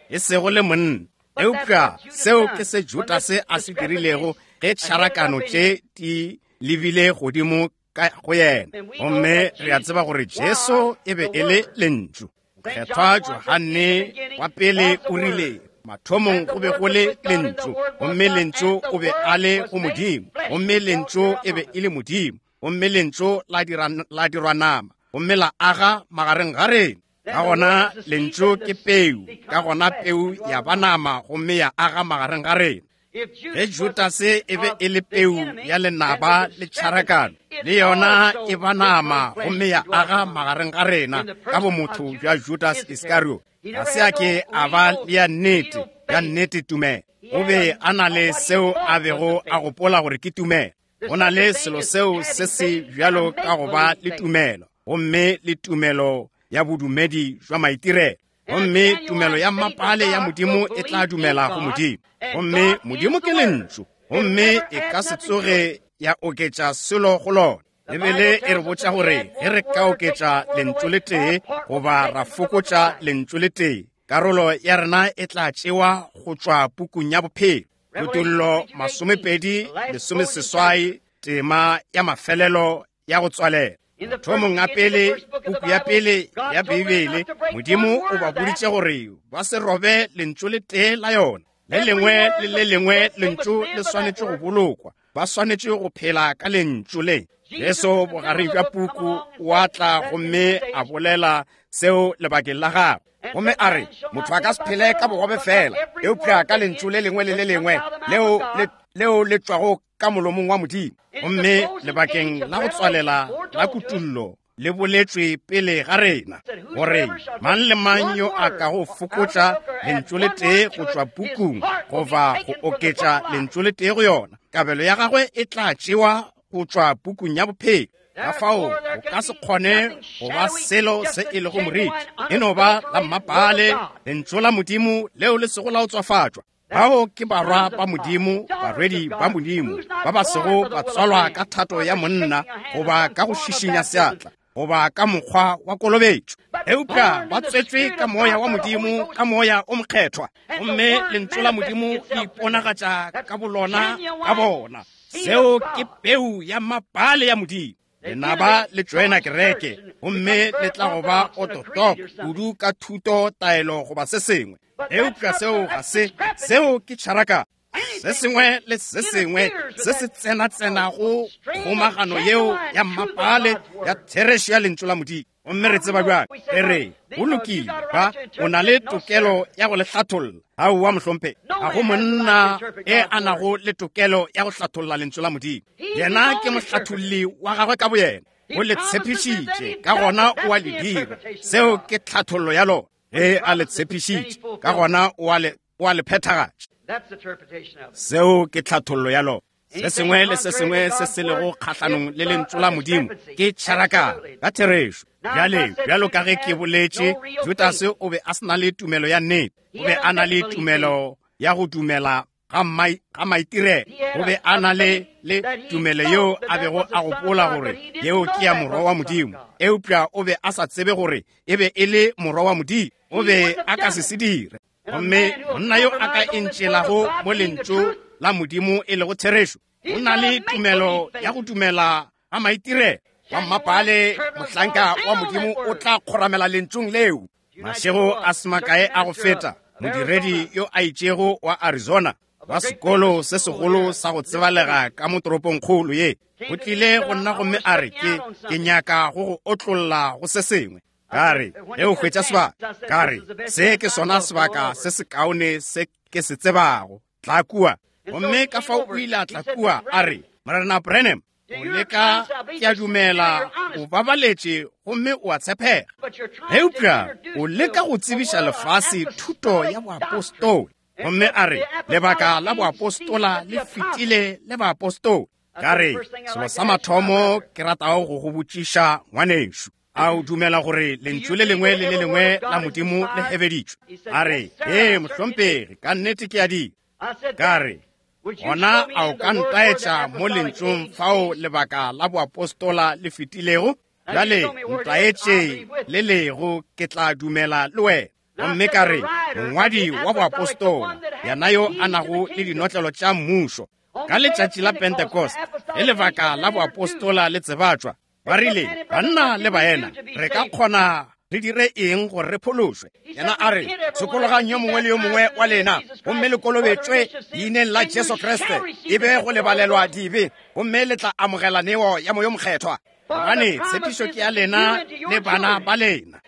e sego le monna. Eupša seo ke se Judase a se dirilego ge tšharakano tše di lebile godimo ka go yena. Gomme re a tseba gore Jesu e be e le lentšu. Mokgethwa Johane wa pele o rile, mathomong go be go le lentšu, gomme lentšu o be a le go Modimo, gomme lentšu e be e le Modimo, gomme lentšu la dira, la dirwa nama, gomme la aga magareng ga rena. Ka gona lentšu ke peu, ka gona peu ya ba nama gomme ya aga magareng ga rena. Ge Judase e be e le peu ya lenaba le tšharakano, Le yona e ba nama gomme ya aga magareng ga rena ka bomotho bja Judas Iskariot. Ga se a ke a ba le ya nnete, ya nnete tumelo. O be a na le seo a bego a gopola gore ke tumelo. Go na le selo seo se se bjalo ka go ba le tumelo, gomme le tumelo ya bodumedi jwa maitirelo. Gomme tumelo ya mapale ya Modimo e tla dumela go Modimo. Gomme Modimo ke lentšu, gomme e ka se tsoge ya oketša selo go lona. Bibele e re botša gore ge re ka oketša lentšu le tee goba ra fokotša lentšu le tee, karolo ya rena e tla tšewa go tšwa pukung ya bophelo. Kutollo masomepedi lesomeseswai, tema ya mafelelo ya go tswalela. Thomong a pele, puku ya pele ya Bibele, Modimo o ba boditše gore ba se robe lentšu le tee la yona. Le lengwe le le lengwe lentšu le swanetše go bolokwa, ba swanetše go phela ka lentšu le. Jesu bogareng bja puku wa tla gomme a bolela seo lebakeng la gagwe. Gomme a re, motho a ka se phele ka bogobe fela, eupša ka lentšu le lengwe le le lengwe leo le leo le tšwago ka molomong wa Modimo. Gomme lebakeng la go tswalela la kutullo le boletšwe pele ga rena gore mang le mang yo a kago fokotša lentšu le tee go tšwa pukung goba go oketša lentšu le tee go yona, kabelo ya gagwe e tla tšewa go tšwa pukung ya bophelo. Ka fao go ka se kgone go ba selo se e lego moriti, e no ba la mmapale lentšu la Modimo leo le sego la o tswafatšwa. Bao ke barwa ba Modimo, barwedi ba Modimo, ba ba sego ba tswalwa ka thato ya monna goba ka go šišinya seatla goba ka mokgwa wa kolobetšo, eupša ba tswetšwe ka moya wa Modimo, ka moya o mokgethwa. Gomme lentšu la Modimo le iponagatša ka bolona ka bona. Seo ke peu ya mapale ya Modimo. Lenaba le tšoena kereke, gomme le tla go ba ototop kudu ka thuto, taelo goba se sengwe. Eupša seo ga se, seo ke tšharaka. Se sengwe le se sengwe se se tsena-tsenago kgomagano yeo ya mmapale ya therešo ya lentšu la Modimo. Gomme re tseba bjang? Re re, go lokile, ba o na le tokelo ya go le hlatholla. Aowa mohlomphegi, ga go monna e a nago le tokelo ya go hlatholla lentšu la Modimo. Yena ke mohlatholli wa gagwe ka boyena. O le tshepišitše, ka gona o a le dira. Seo ke tlhathollo ya lona. Ge a le tshepišitše, ka gona o a le o a le phethagatša. Seo ke tlhathollo ya lona. Se sengwe le se sengwe se se lego kgahlanong le lentšu la Modimo ke tšharakano ka therešo. Bjale, bjalo ka ge ke boletše, Judase o be a se na le tumelo ya nnete. O be a na le tumelo ya go dumela ga maitirelo. O be a na le le tumelo yeo a bego a gopola gore yeo ke ya morwa wa Modimo, eupša o be a sa tsebe gore e be e le morwa wa Modimo. O be a ka se se dire. Gomme monna yo a ka entšelago mo lentšu la Modimo e lego therešo, o na le tumelo ya go dumela ga maitirelo. Wa mmapale mohlanka wa Modimo o tla kgoramela lentšung leo. Mašego a se makae a go feta, modiredi yo a itšego wa Arizona wa sekolo se segolo sa go tsebalega ka mo toropongkgolo ye, o tlile go nna gomme a re, ke ke nyaka go go otlolla go se sengwe. Ka re, ge o hwetša sebaka, ka re, se ke sona sebaka se sekaone se ke se tsebago, tla kua. Gomme ka fao o ile a tla kua, a re, Morena Branham, o leka ke a dumela o babaletše gomme o a tshepega, eupša o leka go tsebiša lefase thuto ya boapostola. Gomme a re, lebaka la boapostola le fetile le baapostola. Ka re, selo sa mathomo ke ratago go go botšiša ngwanešo, a o dumela gore lentšu le lengwe le le lengwe la Modimo le hebeditšwe? A re, ee mohlomphegi, ka nnete ke a di. Ka re, gona a o ka ntaetša mo lentšung fao lebaka la boapostola le fetilego? Bjale ntaetše le lego, ke tla dumela le wena. Gomme ka re, mongwadi wa boapostola, yena yo a nago le dinotlelo tša mmušo, ka letšatši la Pentecost, ge lebaka la boapostola le tsebatšwa, ba rile, banna le baena, re ka kgona re dire eng gore re phološwe? Yena a re, sokologang yo mongwe le yo mongwe wa lena, gomme le kolobetšwe leineng la Jesu Kriste, e be go lebalelwa dibe, gomme le tla amogela neo ya Moya o Mokgethwa. Gobane tshepišo ke ya lena le bana ba lena,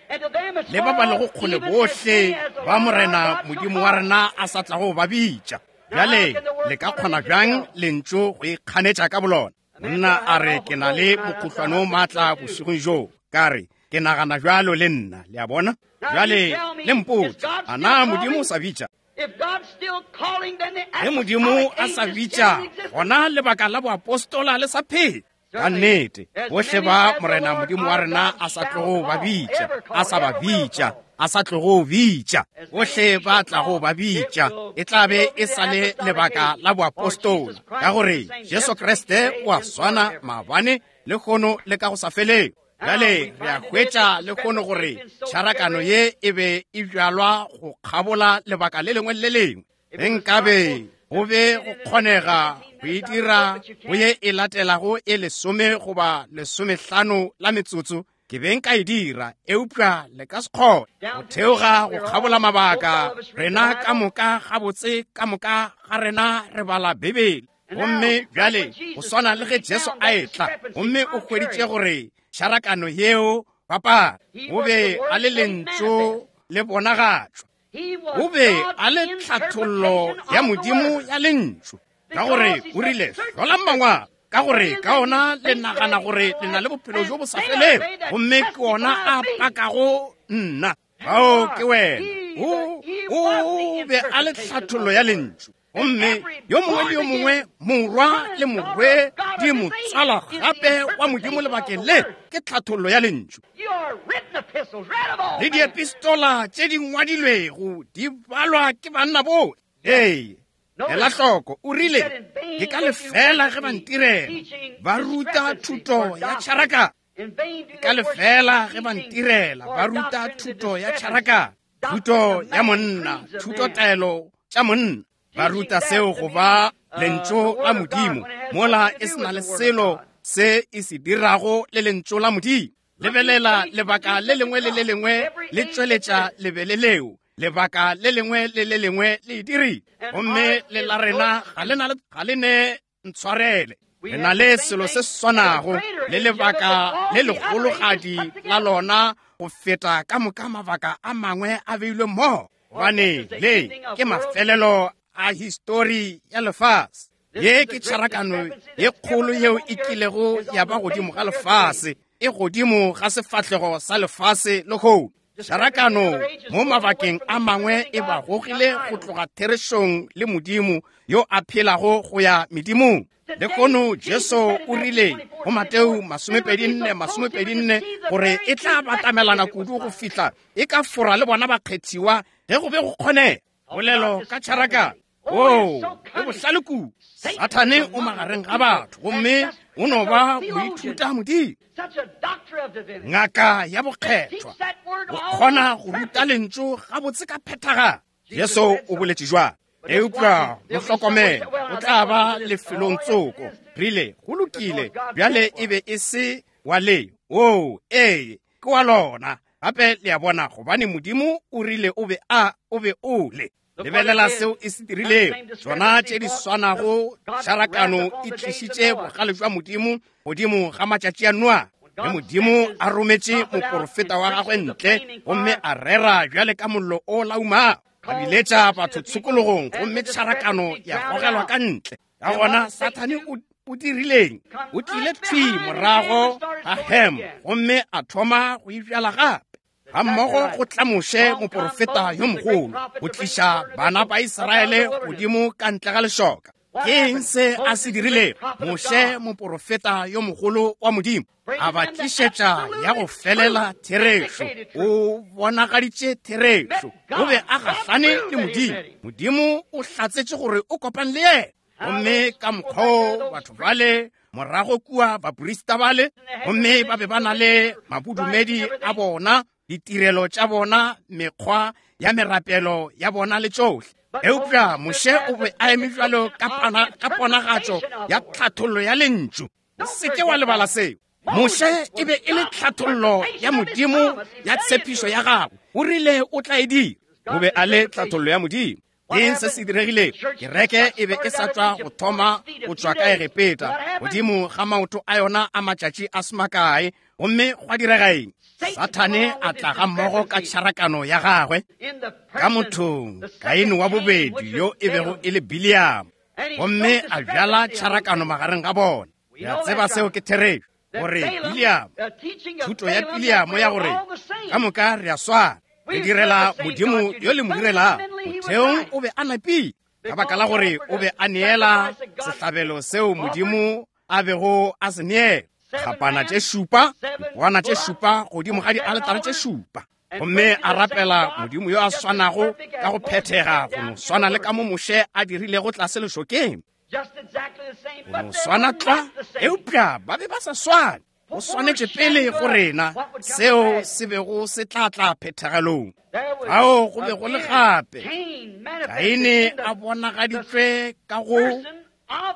le ba ba lego kgole bohle ba Morena Modimo wa rena a sa tlago ba bitša. Bjale le ka kgona bjang lentšu go ikganetša ka bolona? Monna a re ke na le mokgohlwane o maatla bošegong bjo. Ka re ke nagana bjalo le nna, le a bona? Bjale le mpotše, a na Modimo o sa bitša? Ge Modimo a sa bitša, gona lebaka la boapostola le sa phela. Ka nnete, bohle ba Morena Modimo wa rena a sa tlogo ba bitša, a sa ba bitša, a sa tlogo bitša, bohle ba tlago ba bitša, e tla be e sa le lebaka la boapostola, ka gore Jesu Kriste o a swana maabane, lehono le ka go sa feleng. Bjale re a hwetša lehono gore tšharakano ye e be e bjalwa go kgabola lebaka le lengwe le lengwe. Ge nkabe go be go kgonega go e dira go ye e latelago e lesome goba lesomehlano la metsotso, ke be nka e dira, eupša le ka se kgone. Go theoga go kgabola mabaka, rena ka moka gabotse ka moka ga rena re bala Bibele. Gomme bjale go swana le ge Jesu a etla, gomme o hweditše gore tšharakano yeo papa o be a le lentšu le bonagatšwa, o be a le tlhathollo ya Modimo ya lentšu, ka gore o rile hlolang mangwalo, ka gore ka ona le nagana gore le na le bophelo bjo bo sa felego, gomme ke ona a pakago nna. Bao ke wena. O o be a le tlhathollo ya lentšu, gomme yo mongwe le yo mongwe morwa le morwe di mo tswala gape wa Modimo lebakeng le ke tlhathollo ya lentšu. Le diepistola tše di ngwadilwego di balwa ke banna bohle. Ee, ela hloko, o rile ke ka lefela ge ba ntirela, ba ruta thuto ya tšharakano. Ke ka lefela ge ba ntirela, ba ruta thuto ya tšharakano, thuto ya monna, thuto taelo tša monna. Ba ruta seo go ba lentšu la Modimo, mola e se na le selo se e se dirago le lentšu la Modimo. Lebelela lebaka le lengwe le le lengwe le tšweletša lebele leo, lebaka le lengwe le le lengwe le e dirile, gomme le la rena ga le na ga le ne ntshwarele. Re na le selo se swanago le lebaka le legologadi la lona go feta ka moka mabaka a mangwe a beilwe mmogo, gobane le ke mafelelo a histori ya lefase. Ye ke tšharakano ye kgolo yeo e kilego ya ba godimo ga lefase, e godimo ga sefahlego sa lefase lehono. Tšharakano mo mabakeng a mangwe e ba gogile go tloga therešong le Modimo yo a phelago go ya medimong. Lehono Jesu o rile go Mateo masomepedi nne masomepedi nne gore e tla batamelana kudu go fihla e ka fora le bona bakgethiwa ge go be go kgonega. Polelo ka tšharakano, oo, o bohlale kudu. Sathane o magareng ga batho, gomme o no ba moithuta Modimo, ngaka ya bokgethwa, o kgona go ruta lentšu gabotse ka phethagalo. Jesu o boletše jwang? Eupša mo hlokomele, o tla ba lefelong tsoko. Rile go lokile, bjale e be e se wa le. Oo, ee, ke wa lona. Gape le a bona, gobane Modimo o rile o be a o be o le. Lebelela seo e se dirilego. Tšona tše di swanago tšharakano e tlišitše bogale jwa Modimo godimo ga matšatši a Noa. Ge Modimo a rometše moporofeta wa gagwe ntle, gomme a rera bjale ka mollo o laumago, a biletša batho tshokologong, gomme tšharakano ya gogelwa ka ntle. Ka gona Sathane o o dirileng? O tlile thwi morago ga Ham, gomme a thoma go ibjala gape. Ga mmogo go tla Moshe moporofeta yo mogolo, go tliša bana ba Israele godimo ka ntle ga lešoka. Ke eng se a se dirilego? Moshe moporofeta yo mogolo wa Modimo a ba tlišetša ya go felela therešo. O bonagaditše therešo. O be a gahlane le Modimo. Modimo o hlatsetše gore o kopane le yena. Gomme ka mokgwa batho bale morago kua baporista bale, gomme ba be ba na le mabodumedi a bona, ditirelo tša bona, mekgwa ya merapelo ya bona le tšohle. Eupša Moshe o be a eme bjalo ka ponagatšo ya tlhathollo ya lentšu. O se ke wa lebala seo. Moshe e be e le tlhathollo ya Modimo ya tshepišo ya gagwe. O rile o tla e dira. O be a le tlhathollo ya Modimo. Eng se se diregilego? Kereke e be e sa tšwa go thoma go tšwa ka Egepeta godimo ga maoto a yona a matšatši a se makae, gomme gwa direga eng? Sathane a tla ga mmogo ka tšharakano ya gagwe ka mothong Kaine wa bobedi yo e bego e le Biliamo, gomme a bjala tšharakano magareng ga bona. Re a tseba seo ke therešo, gore Biliamo, thuto ya Biliamo ya gore ka moka re a swana, re direla Modimo yo le mo direlago. Motheong o be a napile, ka baka la gore o be a neela sehlabelo seo Modimo a bego a se neela. Kgapana tše šupa, dipoana tše šupa godimo ga dialetare tše šupa. Gomme a rapela Modimo yo a swanago ka go phethega, go no swana le ka mo Moshe a dirilego tlase lešokeng. Go no swana tlwa, eupša ba be ba sa swane. Go swanetše pele go rena seo se bego se tla tla phethagalong. Fao go be go le gape Kaine a bonagaditšwe ka go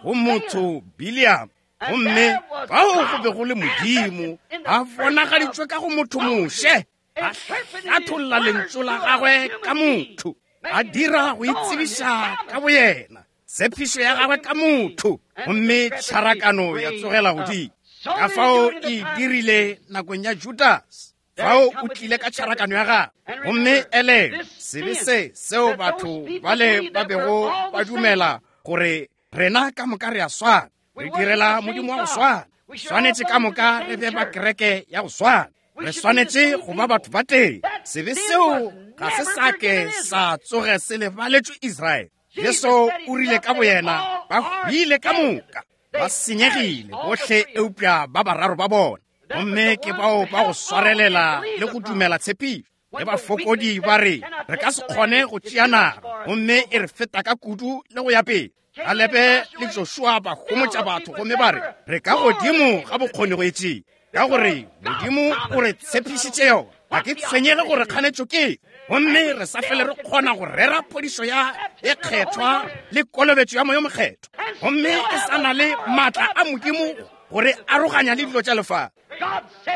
go motho Biliam, gomme fao go be go le Modimo a bonagaditšwe ka go motho Moshe, a hlatholla lentšu la gagwe ka motho, a dira go itsebiša ka boyena tshepišo ya gagwe ka motho, gomme tšharakano ya tsogela godimo. Ka fao e dirile nakong ya Judas, fao o tlile ka tšharakano ya gagwe. Gomme elelwa sebe se seo batho bale ba bego ba dumela gore rena ka moka re a swana, re direla Modimo wa go swana, swanetše ka moka re be ba kereke ya go swana, re swanetše go ba batho ba tee. Sebe seo ga se sa ke sa tsoge se lebaletšwe Israele. Jesu o rile ka boyena, ba hwile ka moka, ba senyegile bohle eupša ba bararo ba bona. Gomme ke bao ba go swarelela le go dumela tshepišo. Le bafokodi ba re, re ka se kgone go tšea naga, gomme e re feta ka kudu le go ya pele. Kalebe le Joshua ba homotša batho gomme ba re, re ka godimo ga bokgoni go e tšea, ka gore Modimo o re tshepišitše yona. Ga ke tshwenyege gore kganetšo ke, gomme re sa fele re kgona go rera phodišo ya e kgethwa le kolobetšo ya Moya o Mokgethwa, gomme e sa na le maatla a Modimo gore aroganya le dilo tša lefase.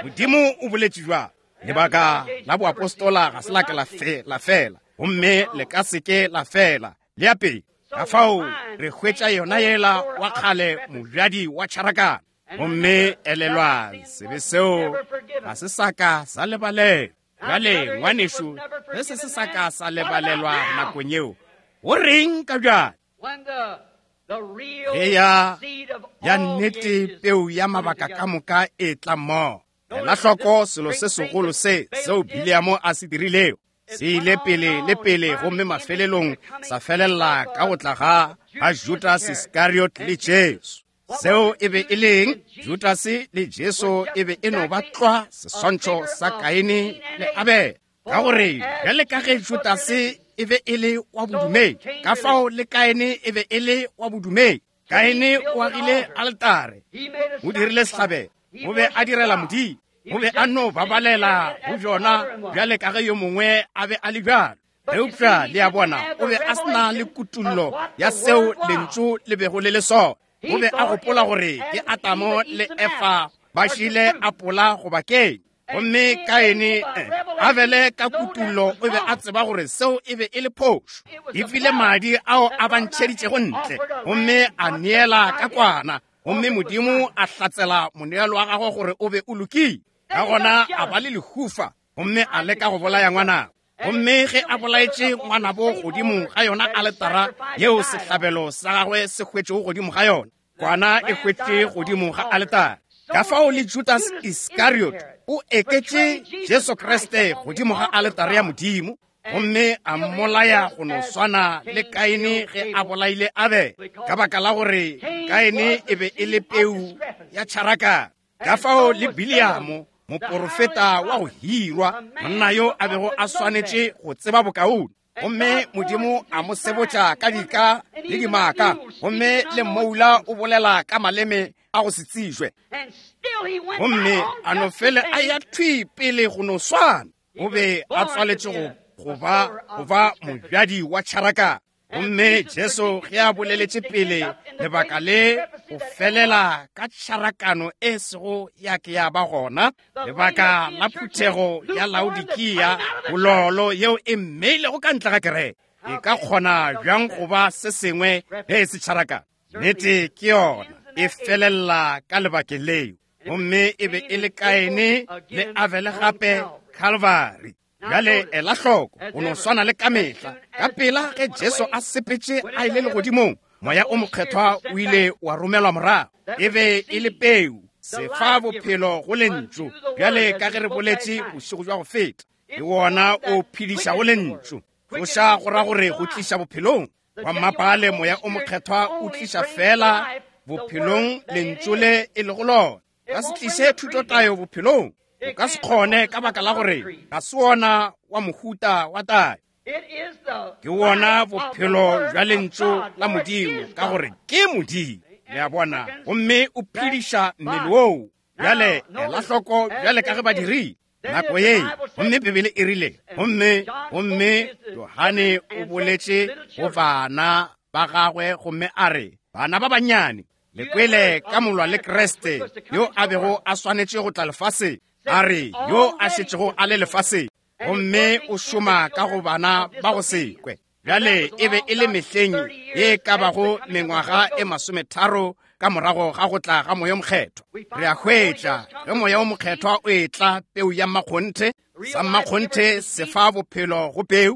Modimo o boletše bjalo. Lebaka la boapostola ga se la ke la fe, la fela, gomme le ka se ke la fela le ya pele. Ka fao re hwetša yona yela wa kgale mobjadi wa tšharakano. Gomme elelwang, sebe seo ga se sa ka sa lebalelwa. Bjale ngwanešu, ge se se sa ka sa lebalelwa nakong yeo, go reng ka bjale? Ge ya ya nnete peu ya mabaka ka moka e tla mmogo. Ela hloko selo se segolo se seo Biliamo a se dirilego. Se ile pele le pele, gomme mafelelong sa felela ka go tla ga ga Judas Iskariot le Jesu. Seo e be e leng Judas le Jesu e be e no ba tlwa seswantšho sa Kaine le Abele. Ka gore bjale ka ge Judas e be e le wa bodumedi, ka fao le Kaine e be e le wa bodumedi. Kaine o agile altare, o dirile sehlabelo, o be a direla Modimo, o be a no babalela go bjona bjale ka ge yo mongwe a be a le bjalo. Eupša le a bona, o be a se na le kutullo ya seo lentšu le bego le le sona. O be a gopola gore ke Adamo le Efa ba šile apola goba keng. Gomme Kaine, Abele ka kutullo o be a tseba gore seo e be e le phošo. E file madi ao a ba ntšheditšego ntle, gomme a neela ka kwana, gomme Modimo a hlatsela moneelo wa gagwe gore o be o lokile. Ka gona a ba le lehufa, gomme a leka go bolaya ngwanabo. Gomme ge a bolaetše ngwanabo godimo ga yona aletara yeo sehlabelo sa gagwe se hwetšego godimo ga yona, kwana e hwetše godimo ga aletara. Ka fao le Judas Iskariot o eketše Jesu Kriste godimo ga aletare ya Modimo, gomme a mmolaya go no swana le Kaine ge a bolaile Abele, ka baka la gore Kaine e be e le peu ya tšharakano. Ka fao le Biliamo, moporofeta wa go hirwa, monna yo a bego a swanetše go tseba bokaone, gomme Modimo a mo sebotša ka dika le dimaka, gomme le mmoula o bolela ka maleme a go se tsejwe, gomme a no fele a ya thwi pele go no swana. O be a tswaletše go go ba go ba mobjadi wa tšharakano. Gomme Jesu ge a boleletše pele lebaka le go felela ka tšharakano e sego ya ke ya ba gona, lebaka la phuthego ya Laodikia, bololo yeo e mmeilego ka ntle ga kereke, e ka kgona bjang go ba se sengwe ge e se tšharakano? Nnete ke yona e felela ka lebakeng leo. Gomme e be e le Kaine le Abele gape Calvary. Bjale ela hloko, go no swana le ka mehla, ka pela ge Jesu a sepetše a ile legodimong, Moya o Mokgethwa o ile wa romelwa morago. E be e le peu, sefa bophelo go lentšu, bjale ka ge re boletše bošego bja go feta. Ke wona o phedišago lentšu. Tloša go ra gore go tliša bophelong. Wa mmapale Moya o Mokgethwa o tliša fela bophelong lentšu le e lego lona. Ka se tliše thutotayo bophelong. O ka se kgone ka baka la gore ga se wona wa mohuta wa tayo. Ke wona bophelo bja lentšu la Modimo, ka gore ke Modimo. Le a bona? Gomme o phediša mmele woo. Bjale ela hloko bjale ka ge ba dirile nako ye. Gomme Bibele e rile, gomme gomme Johane o boletše go bana ba gagwe gomme a re, bana ba bannyane, le kwele ka molwa le Kriste yo a bego a swanetše go tla lefaseng. A re, yo a šetšego a le lefaseng, gomme o šoma ka go bana ba go se kwe. Bjale e be e le mehleng ye ka bago mengwaga e masometharo ka morago ga go tla ga Moya o Mokgethwa. Re a hwetša ge Moya o Mokgethwa o etla, peu ya mmakgonthe, sa mmakgonthe se fa bophelo go peu.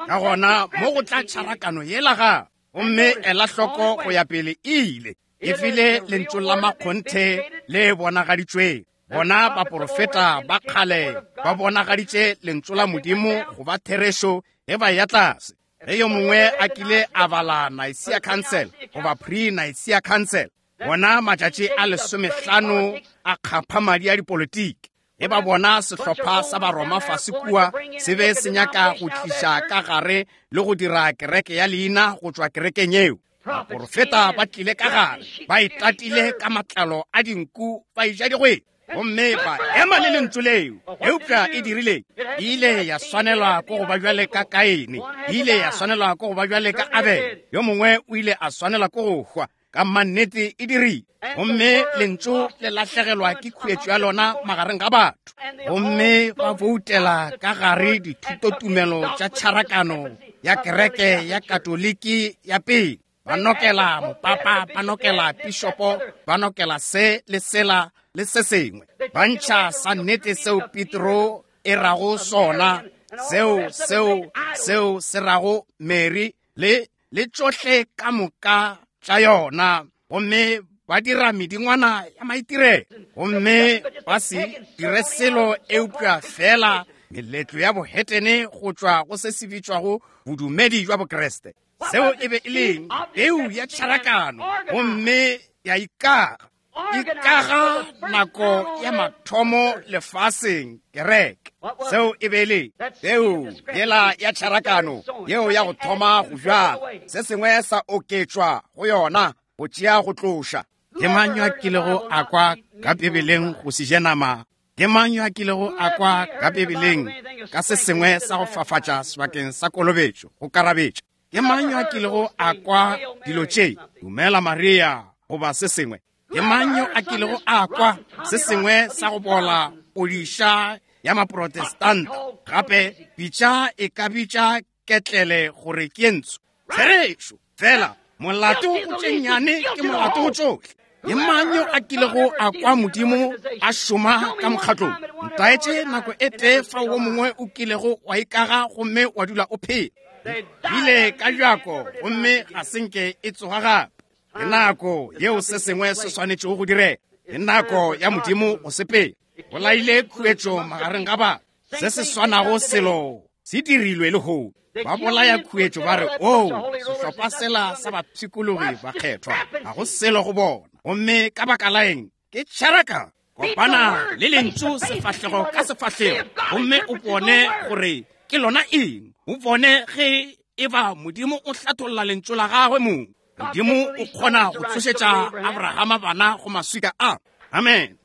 Ka gona mo go tla tšharakano yela ga, gomme ela hloko go ya pele e ile e file lentšu la makgonthe le bonagaditšweng. Bona baporofeta ba kgale ba bonagaditše lentšu la Modimo go ba therešo ge ba ya tlase. Ge yo mongwe a kile a bala Nicaea Council goba pre-Nicaea Council, bona matšatši a lesomehlano a kgapha madi a dipolitiki. Ge ba bona sehlopha sa Baroma fase kua se be se nyaka go tliša ka gare le go dira kereke ya leina go tšwa kerekeng yeo, baporofeta ba tlile ka gare, ba itatile ka matlalo a dinku, ba eja digwete, gomme ba ema le lentšu leo. Eupša e dirile, e ile ya swanelwa ke go ba bjale ka Kaine, e ile ya swanelwa ke go ba bjale ka Abele. Yo mongwe o ile a swanelwa ke go hwa. Ka mannete e dirile. Gomme lentšu le lahlegelwa ke khuetšo ya lona magareng ga batho. Gomme ba boutela ka gare dithutotumelo tša tšharakano ya kereke ya Katoliki ya pele. Ba nokela mopapa, ba nokela pišopo, ba nokela se le sela le se sengwe. Ba ntšha sa nnete seo Petro e rago sona, seo seo seo se rago Mary le le tšohle ka moka tša yona. Gomme ba dira medingwana ya maitirelo, gomme ba se dire selo eupša fela meletlo ya bohetene go tšwa go se se bitšwago bodumedi bja Bokriste. Seo e be e leng peu ya tšharakano, gomme ya ikaga. Ikaga nako ya mathomo lefaseng kereke. Seo e be e le peu yela ya tšharakano yeo ya go thoma go bjala. Se sengwe sa oketšwa go yona go tšea go tloša. Ke mang yo a kilego a kwa ka Bibeleng go se je nama? Ke mang yo a kilego a kwa ka Bibeleng ka se sengwe sa go fafatša sebakeng sa kolobetšo go karabetša? Ke mang yo a kilego a kwa dilo tše, dumela Maria goba se sengwe? Ke mang yo a kilego a kwa se sengwe sa go bola podiša ya maprotestanta? Gape pitša e ka bitša ketlele gore ke ntsho. Therešo fela, molato go tše nnyane ke molato go tšohle. Ke mang yo a kilego a kwa Modimo a šoma ka mokgatlong? Ntaetše nako e tee fao wo mongwe o kilego wa ikaga gomme wa dula o phela. Ile ka bjako gomme ga se nke e tsoga gape. Ke nako yeo se sengwe se swanetšego go direga. Ke nako ya Modimo go sepela. Bolaile khuetšo magareng ga batho. Se se swanago selo se dirilwe lehono. Ba bolaya khuetšo ba re, o sehlopha sela sa bapshikologi ba kgethwa, ga go selo go bona. Gomme ka baka la eng? Ke tšharaka. Kopana le lentšu sefahlego ka sefahlego, gomme o bone gore ke lona eng. O bone ge e ba Modimo o hlatholla lentšu la gagwe mong. Modimo o kgona go tsošetša Abrahama bana go maswika a. Amen.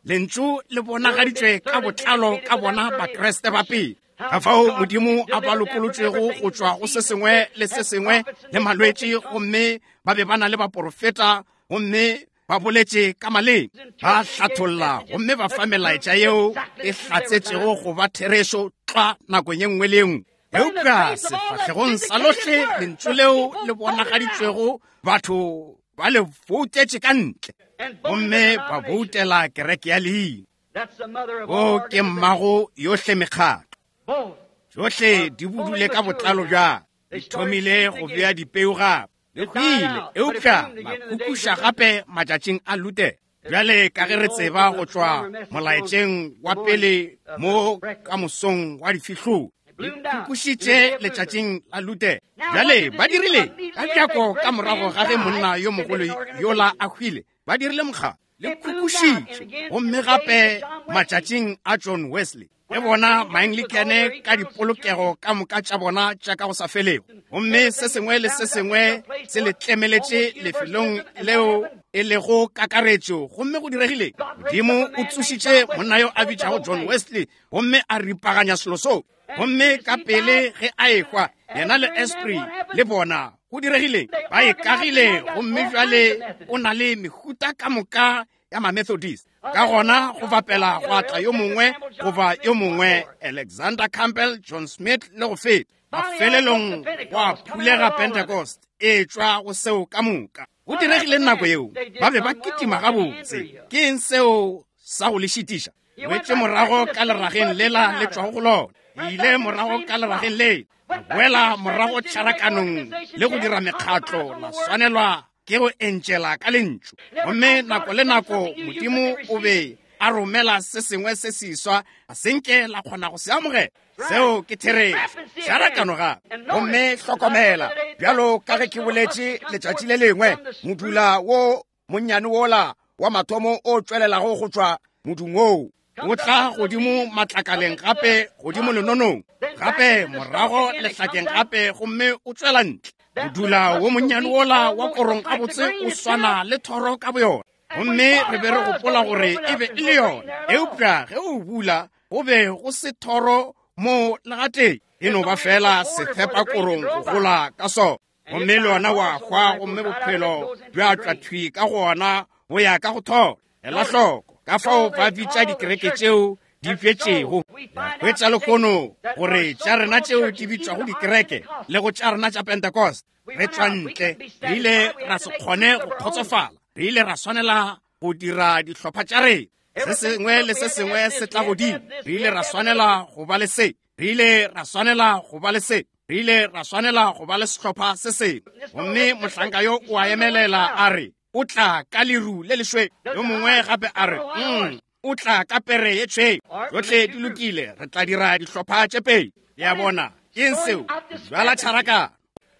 Lentšu le bonagaditšwe ka botlalo ka bona Bakriste ba pele. Ka fao Modimo a ba lokolotšego go tšwa go se sengwe le se sengwe le malwetši, gomme ba be ba na le baporofeta, gomme ba boletše ka maleme, ba hlatholla, gomme ba fa melaetša yeo e hlatsetšego go ba therešo tlwa nakong ye nngwe le ye nngwe. Eupša sefahlegong sa lohle lentšu leo le bonagaditšwego, batho ba le boutetše ka ntle, gomme ba boutela kereke ya leina. O ke mmago yohle mekgatlo. Tšohle di budule ka botlalo bja, di thomile go bea dipeu gape. Le hwile, eupša la kukuša gape matšatšing a Luther. Bjale ka ge re tseba go tšwa molaetšeng wa pele mo ka mosong wa difihlolo, le kukušitše letšatšing la Luther. Bjale ba dirile ka bjako ka morago ga ge monna yo mogolo yola a hwile, ba dirile mokgatlo, le kukušitše gomme gape matšatšing a John Wesley. Le bona Maanglikane ka dipolokego ka moka tša bona tša ka go sa felego, gomme se sengwe le se sengwe se le tlemeletše lefelong leo e lego kakaretšo. Gomme go diregile, Modimo o tsošitše monna yo a bitšago John Wesley gomme a ripaganya selo seo. Gomme ka pele ge a ehwa, yena le Esprit le bona, go diregile, ba e kagile. Gomme bjale o na le mehuta ka moka ya ma-Methodist. Ka gona go bapela go atla yo mongwe goba yo mongwe, Alexander Campbell, John Smith le go feta. Mafelelong gwa phulega Pentecost e tšwa go seo ka moka. Go diregile nako yeo, ba be ba kitima gabotse. Ke eng seo sa go le šitiša? Boetše morago ka lerageng lela le tšwago go lona. Le ile morago ka lerageng le, la boela morago tšharakanong le go dira mekgatlo, la swanelwa ke go entšela ka lentšu. Gomme nako le nako Modimo o be a romela se sengwe se seswa, a senke la kgona go se amogela. Seo ke therešo, tšharakano gape. Gomme hlokomela, bjalo ka ge ke boletše letšatši le lengwe, modula wo monnyane wola wa mathomo o tšwelelago go tšwa modung woo o tla godimo matlakaleng gape, godimo lenonong gape, morago lehlakeng gape, gomme o tšwela ntle. Modula wo monnyane wola wa korong gabotse o swana le thoro ka boyona, gomme re be re gopola gore e be e le yona, eupša ge o bula go be go se thoro mo legateng, e no ba fela sethepa korong go gola ka sona. Gomme le yona wa hwa, gomme bophelo bja tšwa thwi ka gona bo ya ka go thoro. Ela hloko ka fao ba bitša dikereke tšeo di bjetšego. Hwetša lehono gore tša rena tšeo di bitšwago dikereke le go tša rena tša Pentecost, re tšwa ntle, re ile ra se kgone go kgotsofala, re ile ra swanela go dira dihlopha tša rena. Se sengwe le se sengwe se tla godimo, re ile ra swanela go ba le se, re ile ra swanela go ba le se, re ile ra swanela go ba le sehlopha se sengwe. Gomme mohlanka yo o a emelela a re, o tla ka leru le lešweu. Yo mongwe gape a re, mm, o tla ka pere ye tšhweu. Tšohle di lokile, re tla dira dihlopha tše pedi. Le a bona, ke eng seo? Bjala tšharakano.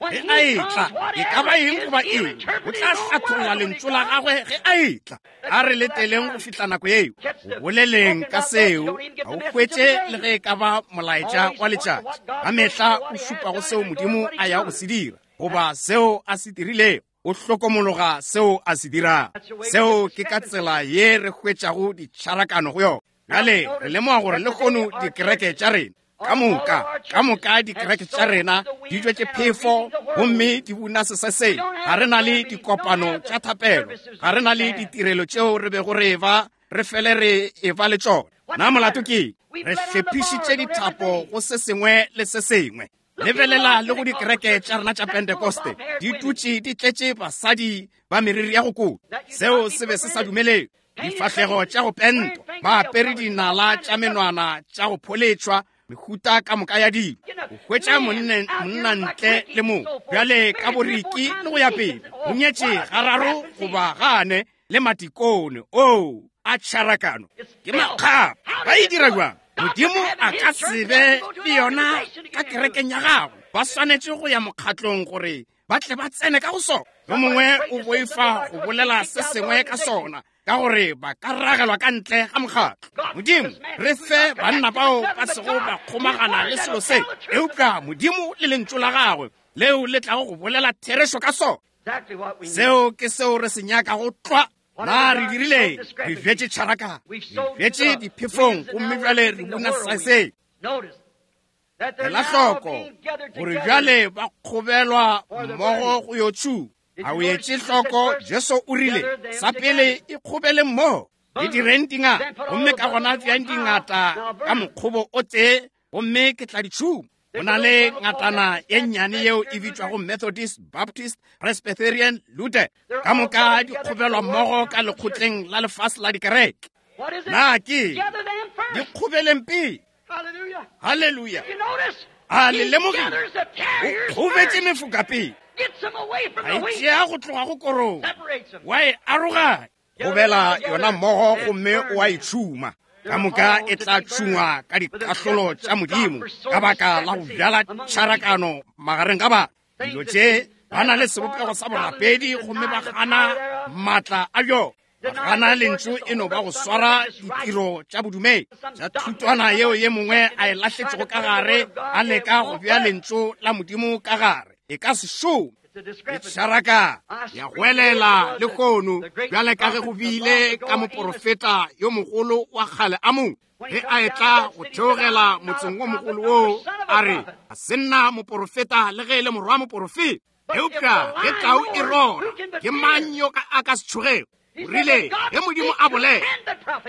Ge a etla, e ka ba eng goba eng, o tla hlatholla lentšu la gagwe ge a etla. A re leteleng go fihla nako yeo. Go boleleng ka seo, ga o hwetše le ge e ka ba molaetša wa letšatši. Ka mehla o šupa go seo Modimo a yago go se dira, goba seo a se dirilego. O hlokomologa seo a se dirang. Seo ke ka tsela ye re hwetšago ditšharakano go yona. Bjale re lemoga gore lehono dikereke tša rena ka moka, ka moka dikereke tša rena di tšwetše phefo gomme di buna seseseng. Ga re na le dikopano tša thapelo, ga re na le ditirelo tšeo re bego re eba re fele re eba le tšona. Na molato ke re hlephišitše dithapo go se sengwe le se sengwe. Lebelela le go dikereke tša rena tša Pentecoste, di dutše di tletše basadi ba meriri ya go kota. Seo se be se sa dumelelwe. Difahlego tša go pentwa, ba apere dinala tša menwana tša go pholetšwa, mehuta ka moka ya dilo. O hwetša monna ntle le mo bjale ka boriki le go ya pele, o nyetše gararo goba gane le matikone o a tšharakano. Ke makgapa. Ba e dira jwang? Modimo a ka se be le yona ka kerekeng ya gagwe. Ba swanetše go ya mokgatlong gore ba tle ba tsene ka go sona. Yo mongwe o boifa go bolela se sengwe ka sona, ka gore ba ka ragelwa ka ntle ga mokgatlo. Modimo, re fe banna bao ba sego ba kgomagana le selo se, eupša Modimo le lentšu la gagwe leo le tlago go bolela therešo ka sona. Seo ke seo re se nyakago tlwa. Na re dirile, re bjetše tšharakano, re bjetše diphefong, gomme bjale re buna seseng. Ela hloko gore bjale ba kgobelwa mmogo go yo tšhuma. A o etše hloko, Jesu o rile, sa pele e kgobele mmogo, le direng dingata, gomme ka gona bjang dingata ka mokgobo o tee, gomme ke tla di tšhuma. Go na le ngatana ye nnyane yeo e bitšwago Methodist, Baptist, Presbyterian, Luther. Ka moka di kgobelwa mmogo ka lekgotleng la lefase la dikereke. Na ke di kgobeleng pele? Haleluya. A le lemogile? O kgobetše mefoka pele. A e tšea go tloga go korong, wa e aroganya, gobela yona mmogo gomme o a e tšhuma. Ka moka e tla tšhungwa ka dikahlolo tša Modimo ka baka la go bjala tšharakano magareng ga batho. Dilo tše ba na le sebopego sa borapedi gomme ba gana maatla a bjona. Ba gana lentšu e no ba go swara ditiro tša bodumedi tša thutwana yeo ye mongwe a e lahletšego ka gare, a leka go bea lentšu la Modimo ka gare. E ka se šome. E tšharaka ya goelela lehono bjale ka ge go bile ka moporofeta yo mogolo wa kgale a mongwe ge a etla go theogela motseng wo mogolo woo, a re, a se nna moporofeta le ge e le morwa moporofeta, eupša ge tau e rora, ke mang yo a ka se tšhogego? O rile, ge Modimo a bolela,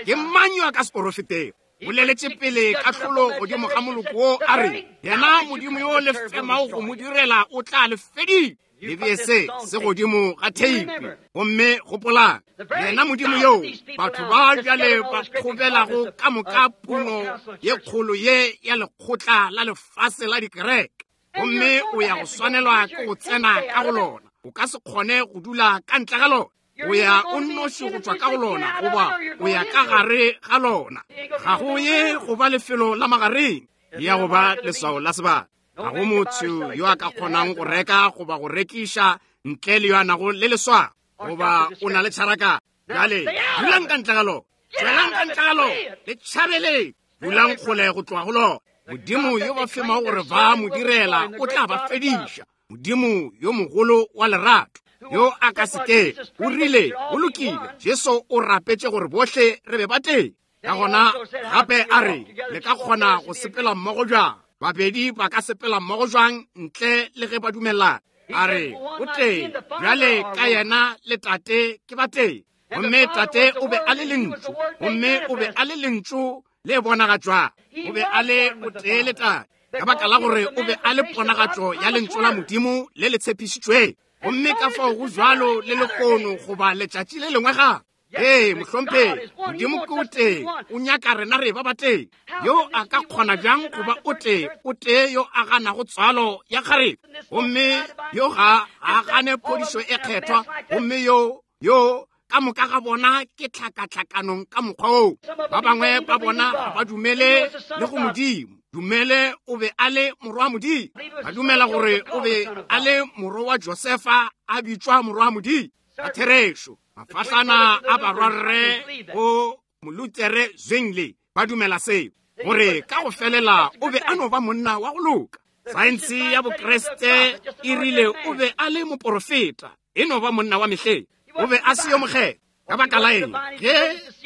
ke mang yo a ka se porofetego? Boleletše pele kahlolo godimo ga moloko wo, a re, yena Modimo yo le femago go mo direla o tla le fedile. Le bee se se godimo ga theipi, gomme gopolang, yena Modimo yo batho ba bjale ba kgobelago ka moka puno ye kgolo ye ya lekgotla la lefase la dikereke, gomme o ya go swanelwa ke go tsena ka go lona. O ka se kgone go dula ka ntle ga lona. O ya o nnoši go tšwa ka go lona, goba o ya ka gare ga lona. Ga go ye go ba lefelo la magareng, ya go ba leswao la sebaka. Ga go motho yo a ka kgonang go reka goba go rekiša ntle le yo a nago le leswao, goba o na le tšharaka. Bjale dulang ka ntle ga lona, tšwelang ka ntle ga lona, le tšhabeleng, dulang kgole go tloga go lona. Modimo yo ba femago gore ba mo direla o tla ba fediša. Modimo yo mogolo wa lerato yo a ka se ke o rile, go lokile, Jesu o rapetše gore bohle re be ba tee. Ka gona gape a re, le ka kgona go sepela mmogo jwang? Babedi ba ka sepela mmogo jwang ntle le ge ba dumelana? A re, o tee, bjale ka yena le tate ke ba tee. Gomme tate o be a le lentšu, gomme o be a le lentšu le bonagatšwa. O be a le o tee le tate, ka baka la gore o be a le ponagatšo ya lentšu la Modimo le le tshepišitšweng. Gomme ka fao go jwalo le lehono goba letšatši le lengwe gape. Ee, mohlomphegi, Modimo ke o tee, o nyaka rena re ba ba tee. Yo a ka kgona bjang go ba o tee, o tee yo a ganago tswalo ya kgarebe, gomme yo ga a gane phodišo e kgethwa, gomme yo yo ka moka ga bona ke tlhakatlhakanong ka mokgwa oo. Ba bangwe ba bona ga ba dumele le go Modimo. Dumele o be a le morwa wa Modimo. Ba dumela gore o be a le morwa wa Josefa, a bitšwa morwa wa Modimo. Ka therešo, mafahlana a barwarre go Molutere Zwingli ba dumela seo, gore ka go felela o be a no ba monna wa go loka. Saense ya Bokreste e rile o be a le moporofeta, e no ba monna wa mehleng. O be a se yo mokgethwa. Ka baka la eng? Ge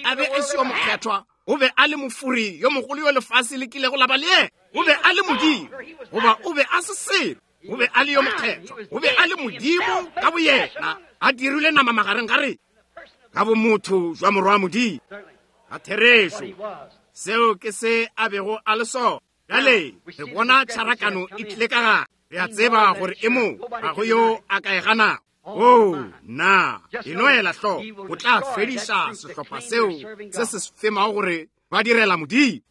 a be a se yo mokgethwa, o be a le mofuri yo mogolo yo lefase le kilego la ba le yena. O be a le Modimo, goba o be a se selo. O be a le yo mokgethwa, o be a le Modimo ka boyena, a dirile nama magareng ga rena, ka bomotho jwa morwa wa Modimo. Ka therešo, seo ke se a bego a le sona. Bjale re bona tšharakano e tlile ka gare. Re a tseba gore e mo, ga go yo a ka e ganago. Oh, na e no ela hloko, o tla fediša sehlopha seo se se femago gore ba direla Modimo.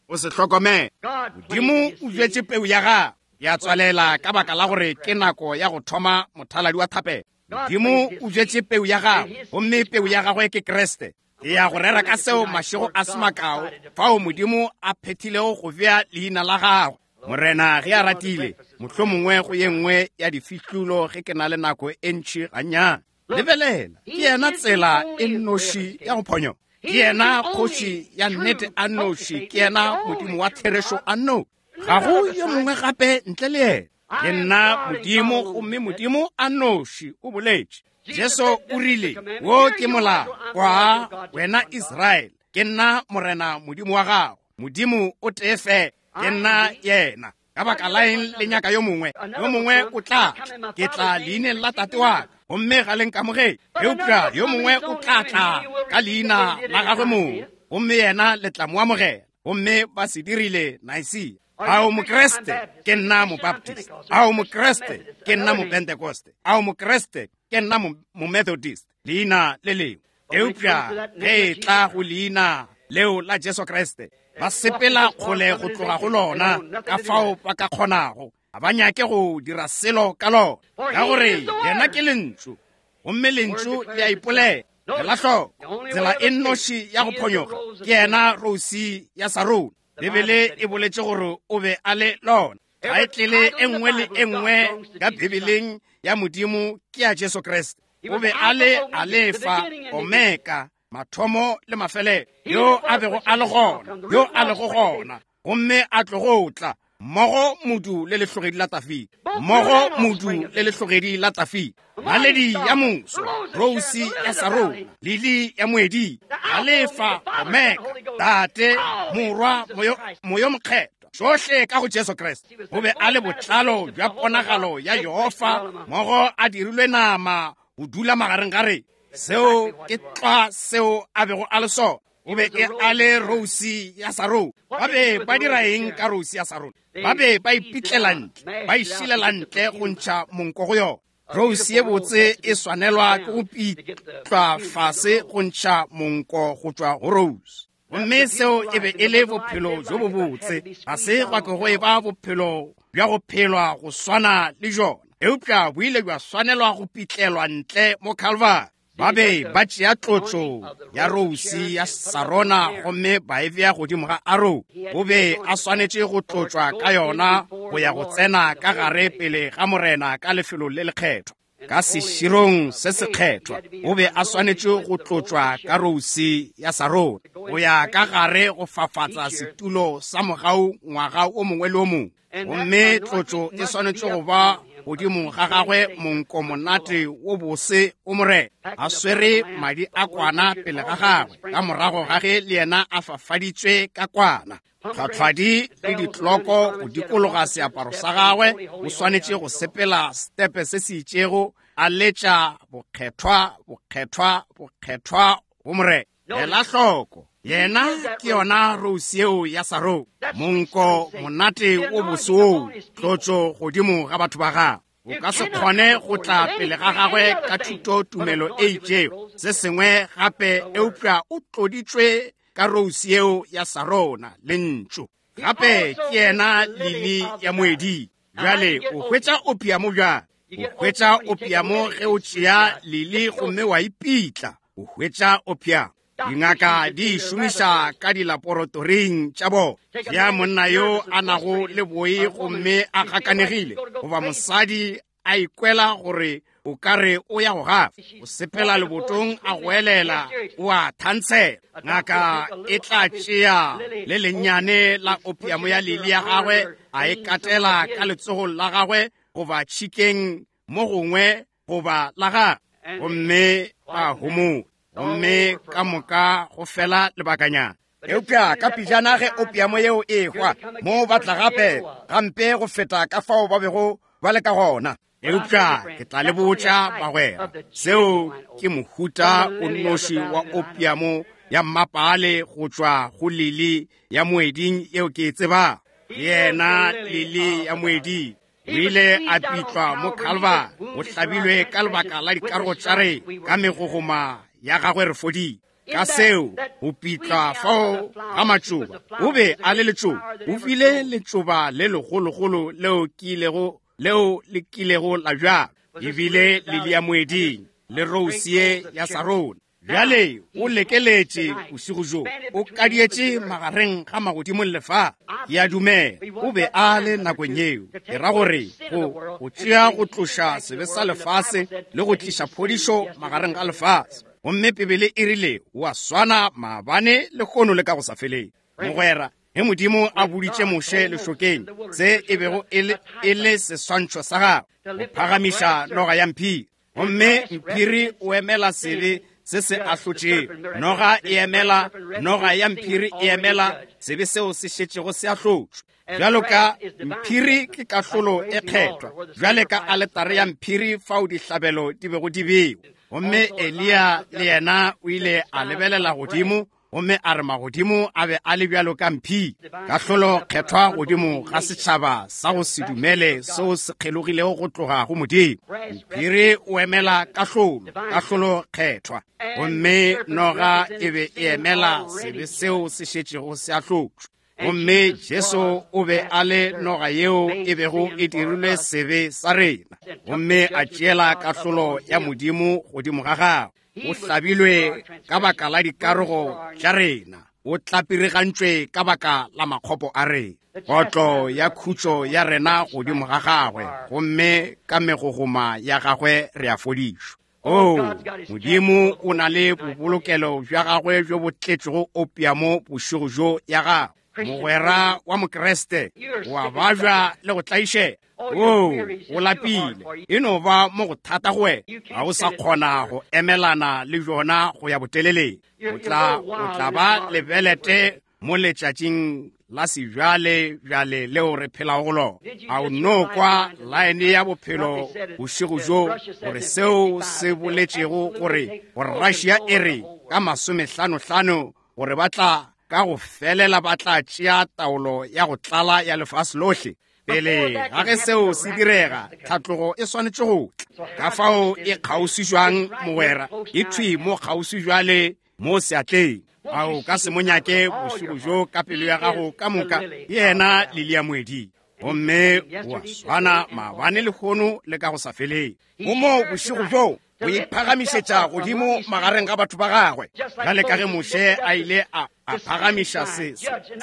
O se hlokomele. Modimo o bjetše peu ya gagwe, ya tswalela ka baka la gore ke nako ya go thoma mothaladi wa thapelo. Modimo o bjetše peu ya gagwe, gomme peu ya gagwe ke Kriste. Ke ya go rera ka seo mašego a se makao, fao Modimo a phethilego go bea leina la gagwe. Morena ge a ratile, mohlomongwe go ye nngwe ya difihlulo ge ke na le nako e ntši gannyane. Lebelela, ke yena tsela e nnoši ya go phonyoga. Ke yena kgoši ya nnete a nnoši, ke yena Modimo wa therešo a nnoši. Ga go yo mongwe gape ntle le yena. Ke nna Modimo, gomme Modimo a nnoši o boletše. Jesu o rile, wo ke molao kwa wena Israele, ke nna Morena Modimo wa gago. Modimo o tee fela, ke nna yena. Ka baka la eng le nyaka yo mongwe? Yo mongwe o tla tla, ke tla leineng la tate wa ka, gomme ga le nkamogele. Eupša yo mongwe o tla tla ka leina la gagwe mong, gomme yena le tla mo amogela. Gomme ba se dirile Nicaea. A o Mokreste? Ke nna Mobaptist. A o Mokreste? Ke nna Mopentecoste. A o Mokreste? Ke nna Momethodist. Leina le lengwe. Eupša ge e tla go leina leo la Jesu Kriste, ba sepela kgole go tloga go lona ka fao ba ka kgonago. Ga ba nyake go dira selo ka lona, ka gore yena ke lentšu, gomme lentšu le a ipolela. Ela hloko, tsela e nnoši ya go phonyoga ke yena Rose ya Sarona. Bibele e boletše gore o be a le lona. Thaetlele e nngwe le e nngwe ka Bibeleng ya Modimo ke ya Jesu Kriste. O be a le Alefa, Omega, mathomo le mafelelo, yo a bego a le gona, yo a lego gona, gomme a tlogo tla, mmogo modu le lehlogedi la Tafile, mmogo modu le lehlogedi la Tafile, naledi ya moso, Rose ya Sarona, lili ya moeding, Alefa, Omega, Tate, Morwa, Moyo, Moyo Mokgethwa, tšohle ka go Jesu Kriste. O be a le botlalo bja ponagalo ya Jehofa, mmogo a dirilwe nama go dula magareng ga rena. Seo ke tlwa seo a bego a le sona. O be a le Rose ya Sarona. Ba be ba dira eng ka Rose ya Sarona? Ba be ba ipitlela ntle, ba išilela ntle go ntšha monko go yona. Rose ye botse e swanelwa ke go pitlwa fase go ntšha monko go tšwa go Rose. Gomme seo e be e le bophelo bjo bo botse. Ga se gwa ke go e ba bophelo bja go phelwa go swana le jona, eupša bo ile bja swanelwa go pitlelwa ntle mo Calvary. Ba be ba tšea tlotšo ya Rose ya Sarona gomme ba e bea godimo ga Aaron. O be a swanetše go tlotšwa ka yona go ya go tsena ka gare pele ga Morena ka lefelong le lekgethwa, ka seširong se sekgethwa. O be a swanetše go tlotšwa ka Rose ya Sarona go ya ka gare go fafatsa setulo sa mogau ngwaga o mongwe le o mongwe. Gomme tlotšo e swanetše go ba godimo ga gagwe monko monate wo bose o Morena, a swere madi a kwana pele ga gagwe, ka morago ga ge le yena a fafaditšwe ka kwana. Tlhwatlhwadi le ditloko go dikologa seaparo sa gagwe, o swanetše go sepela stepe se se itšego, a letša bokgethwa, bokgethwa, bokgethwa go Morena. Ela hloko, yena ke yona Rose yeo ya Sarona, monko monate wo bose woo, tlotšo godimo ga batho ba gagwe. O ka se kgone go tla pele ga gagwe ka thuto tumelo e itšego, se sengwe gape, eupša o tloditšwe ka Rose yeo ya Sarona, lentšu. Gape ke yena lili ya moeding. Bjale o hwetša opiamo bjang? O hwetša opiamo ge o tšea lili gomme wa ipitla. O hwetša opiamo. Dingaka di e šomiša ka dilaboratoring tša bona. Ya monna yo a nago le boi gomme a gakanegile, goba mosadi a ikwela gore o ka re o ya go gafa, o sepela lebotong a goelela, o a thantshela. Ngaka e tla tšea le lennyane la opiamo ya lili ya gagwe, a e katela ka letsogong la gagwe goba tšhikeng mo gongwe goba la gagwe, gomme ba homola, gomme ka moka go fela lebakanyana. Eupša ka pejana ge opiamo yeo e hwa, mo ba tla gape gampe go feta ka fao ba bego ba le ka gona. Eupša ke tla le botša bagwera, seo ke mohuta o nnoši wa opiamo ya mmapaale go tšwa go lili ya moeding yeo ke e tsebago. Yena lili ya moeding o ile a pitlwa mo Calvary, o hlabilwe ka lebaka la dikarogo tša rena, ka megogoma ya gagwe re fodile. Ka seo go pitlwa fao ga matšoba, o be a le letšoba, o file letšoba le legologolo leo kilego leo le kilego la bjalwa, ebile lili ya moeding le Rose ye ya Sarona. Bjale o lekeletše bošego bjo, o kadietše magareng ga magodimo le lefase. Ke a dumela o be a le nakong yeo. Ke ra gore go go tšea go tloša sebe sa lefase le go tliša phodišo magareng ga lefase. Gomme Bibele e rile o a swana maabane lehono le ka go sa feleng. Mogwera, ge Modimo a boditše Moshe lešokeng se e bego e le seswantšho sa gagwe, go phagamiša noga ya mphiri, gomme mphiri o emela sebe se se ahlotšego. Noga e emela, noga ya mphiri e emela sebe seo se šetšego se ahlotšwe. Bjalo ka mphiri ke kahlolo e kgethwa, bjale ka aletare ya mphiri fao dihlabelo di bego di bewa. Gomme Eliya le yena o ile a lebelela godimo gomme a re magodimo a be a le bjalo ka mphiri, kahlolo kgethwa godimo ga setšhaba sa go se dumele seo se kgelogilego go tloga go Modimo. Mphiri o emela kahlolo, kahlolo kgethwa, gomme noga e be e emela sebe seo se šetšego se ahlotšwe. Gomme Jesu o be a le noga yeo e bego e dirilwe sebe sa rena, gomme a tšeela kahlolo ya Modimo godimo ga gagwe. O hlabilwe ka baka la dikarogo tša rena, o tlapirigantšwe ka baka la makgopo a rena. Kotlo ya khutšo ya rena godimo ga gagwe, gomme ka megogoma ya gagwe re a fodišwa. Oh, Modimo o na le bobolokelo bja gagwe bjo bo tletšego opiamo bošego bjo ya gagwe. Mogwera wa Mokriste, o a babja le go tlaišega. Oh, o lapile, e no ba mo go thata go wena, ga o sa kgona go emelana le bjona go ya boteleleng. O tla, o tla ba lebelete mo letšatšing la sebjale bjale leo re phelago go lona. A o no kwa laene ya bophelo bošego bjo, gore seo se boletšego gore gore Russia e re ka masomehlanohlano gore ba tla ka go felela ba tla tšea taolo ya go tlala ya lefase lohle. Pele ga ge seo se direga, tlhatlogo e swanetše go tla. Ka fao e kgauswi mogwera, e thwi mo kgauswi bjale mo seatleng. A o ka se mo nyake bošego bjo ka pelo ya gago ka moka? Ke yena Lili ya moeding, gomme o a swana maabane lehono le ka go sa feleng. O mo bošego bjo o iphagamišetša godimo magareng ga batho ba gagwe, bjale ka ge Moshe a ile a a phagamiša se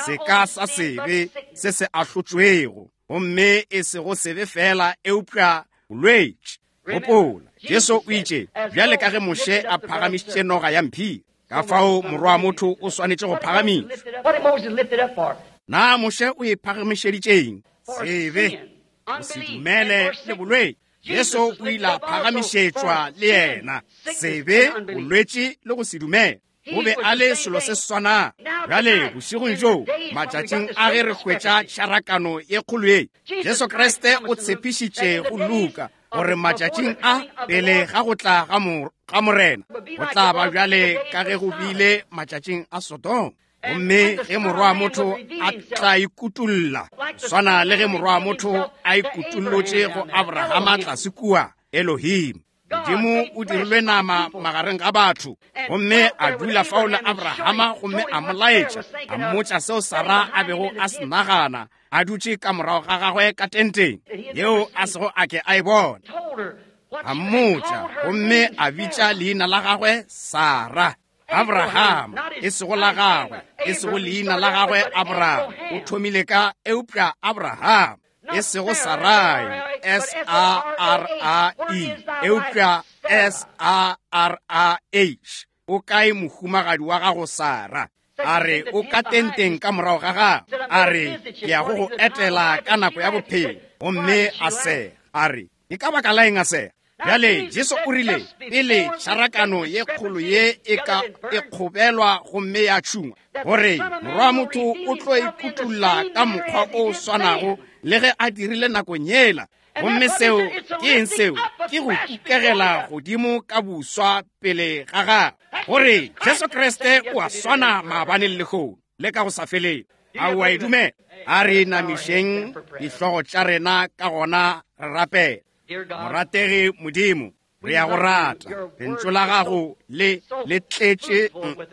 seka sa sebe se se ahlotšwego, gomme e sego sebe fela eupša bolwetši. Gopola, Jesu o itše, bjale ka ge Moshe a phagamišitše noga ya mphiri, ka fao morwa wa motho o swanetše go phagamišwa. Na Moshe o e phagamišeditšeng? Sebe, go se dumele le bolwetši. Jesu o ile a phagamišetšwa le yena, sebe, bolwetši le go se dumele. O be a le selo se swanang. Bjale bošegong bjo, matšatšing a ge re hwetša tšharakano ye kgolo ye, Jesu Kriste o tshepišitše go Luka gore matšatšing a pele ga go tla ga Morena go tla ba bjale ka ge go bile matšatšing a Sodoma. Gomme ge morwa wa motho a tla ikutulla, swana le ge morwa wa motho a ikutullotše go Abrahama tlase kua Elohim. Modimo o dirilwe nama magareng ga batho, gomme a dula fao le Abrahama, gomme a mo laetša, a mmotša seo Sara a bego a se nagana, a dutše ka morago ga gagwe ka tenteng yeo a sego a ke a e bona. A mmotša, gomme a bitša leina la gagwe Sara. Abraham, e sego la gagwe, e sego leina la gagwe Abraham, o thomile ka eupša Abraham, e sego Sarai, S A R A E, eupša S A R A H. O kae mohumagadi wa gago Sara? A re o ka tenteng ka morago ga gagwe. A re ke ya go go etela ka nako ya bophelo. Gomme a sega. A re ke ka baka la eng a sega? Bjale Jesu o rile pele tšharakano ye kgolo ye e ka e kgobelwa gomme ya tšhungwa, gore morwa wa motho o tlo ikutulla ka mokgwa o swanago le ge a dirile nakong yela. Gomme seo ke eng? Seo ke go kukegela godimo ka buswa pele ga gagwe, gore Jesu Kriste o a swana maabane le lehono le ka go sa feleng. A o a e dumela? A re namišeng dihlogo tša rena ka gona re rapela. Morategi Modimo, re ya go rata. Lentšu la gago le le tletše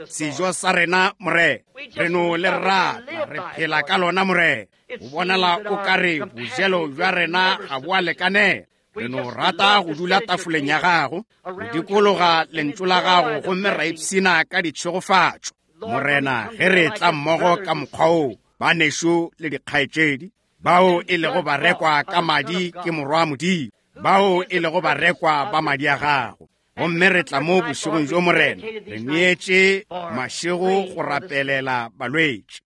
sejo sa rena, Morena. Re no le rata, re phela ka lona, Morena. O bonala o ka re bojelo bja rena ga bo a lekanela. Re no rata go dula tafoleng ya gago, go dikologa lentšu la gago, gomme ra ipshina ka ditšhegofatšo. Morena, ge re tla mmogo ka mokgwa wo, banešu le dikgaetšedi, bao e lego barekwa ka madi ke morwa wa Modimo, bao e lego barekwa ba madi a gago. Gomme re tla mo bošegong bjo, Morena, re neetše mašego go rapelela balwetši.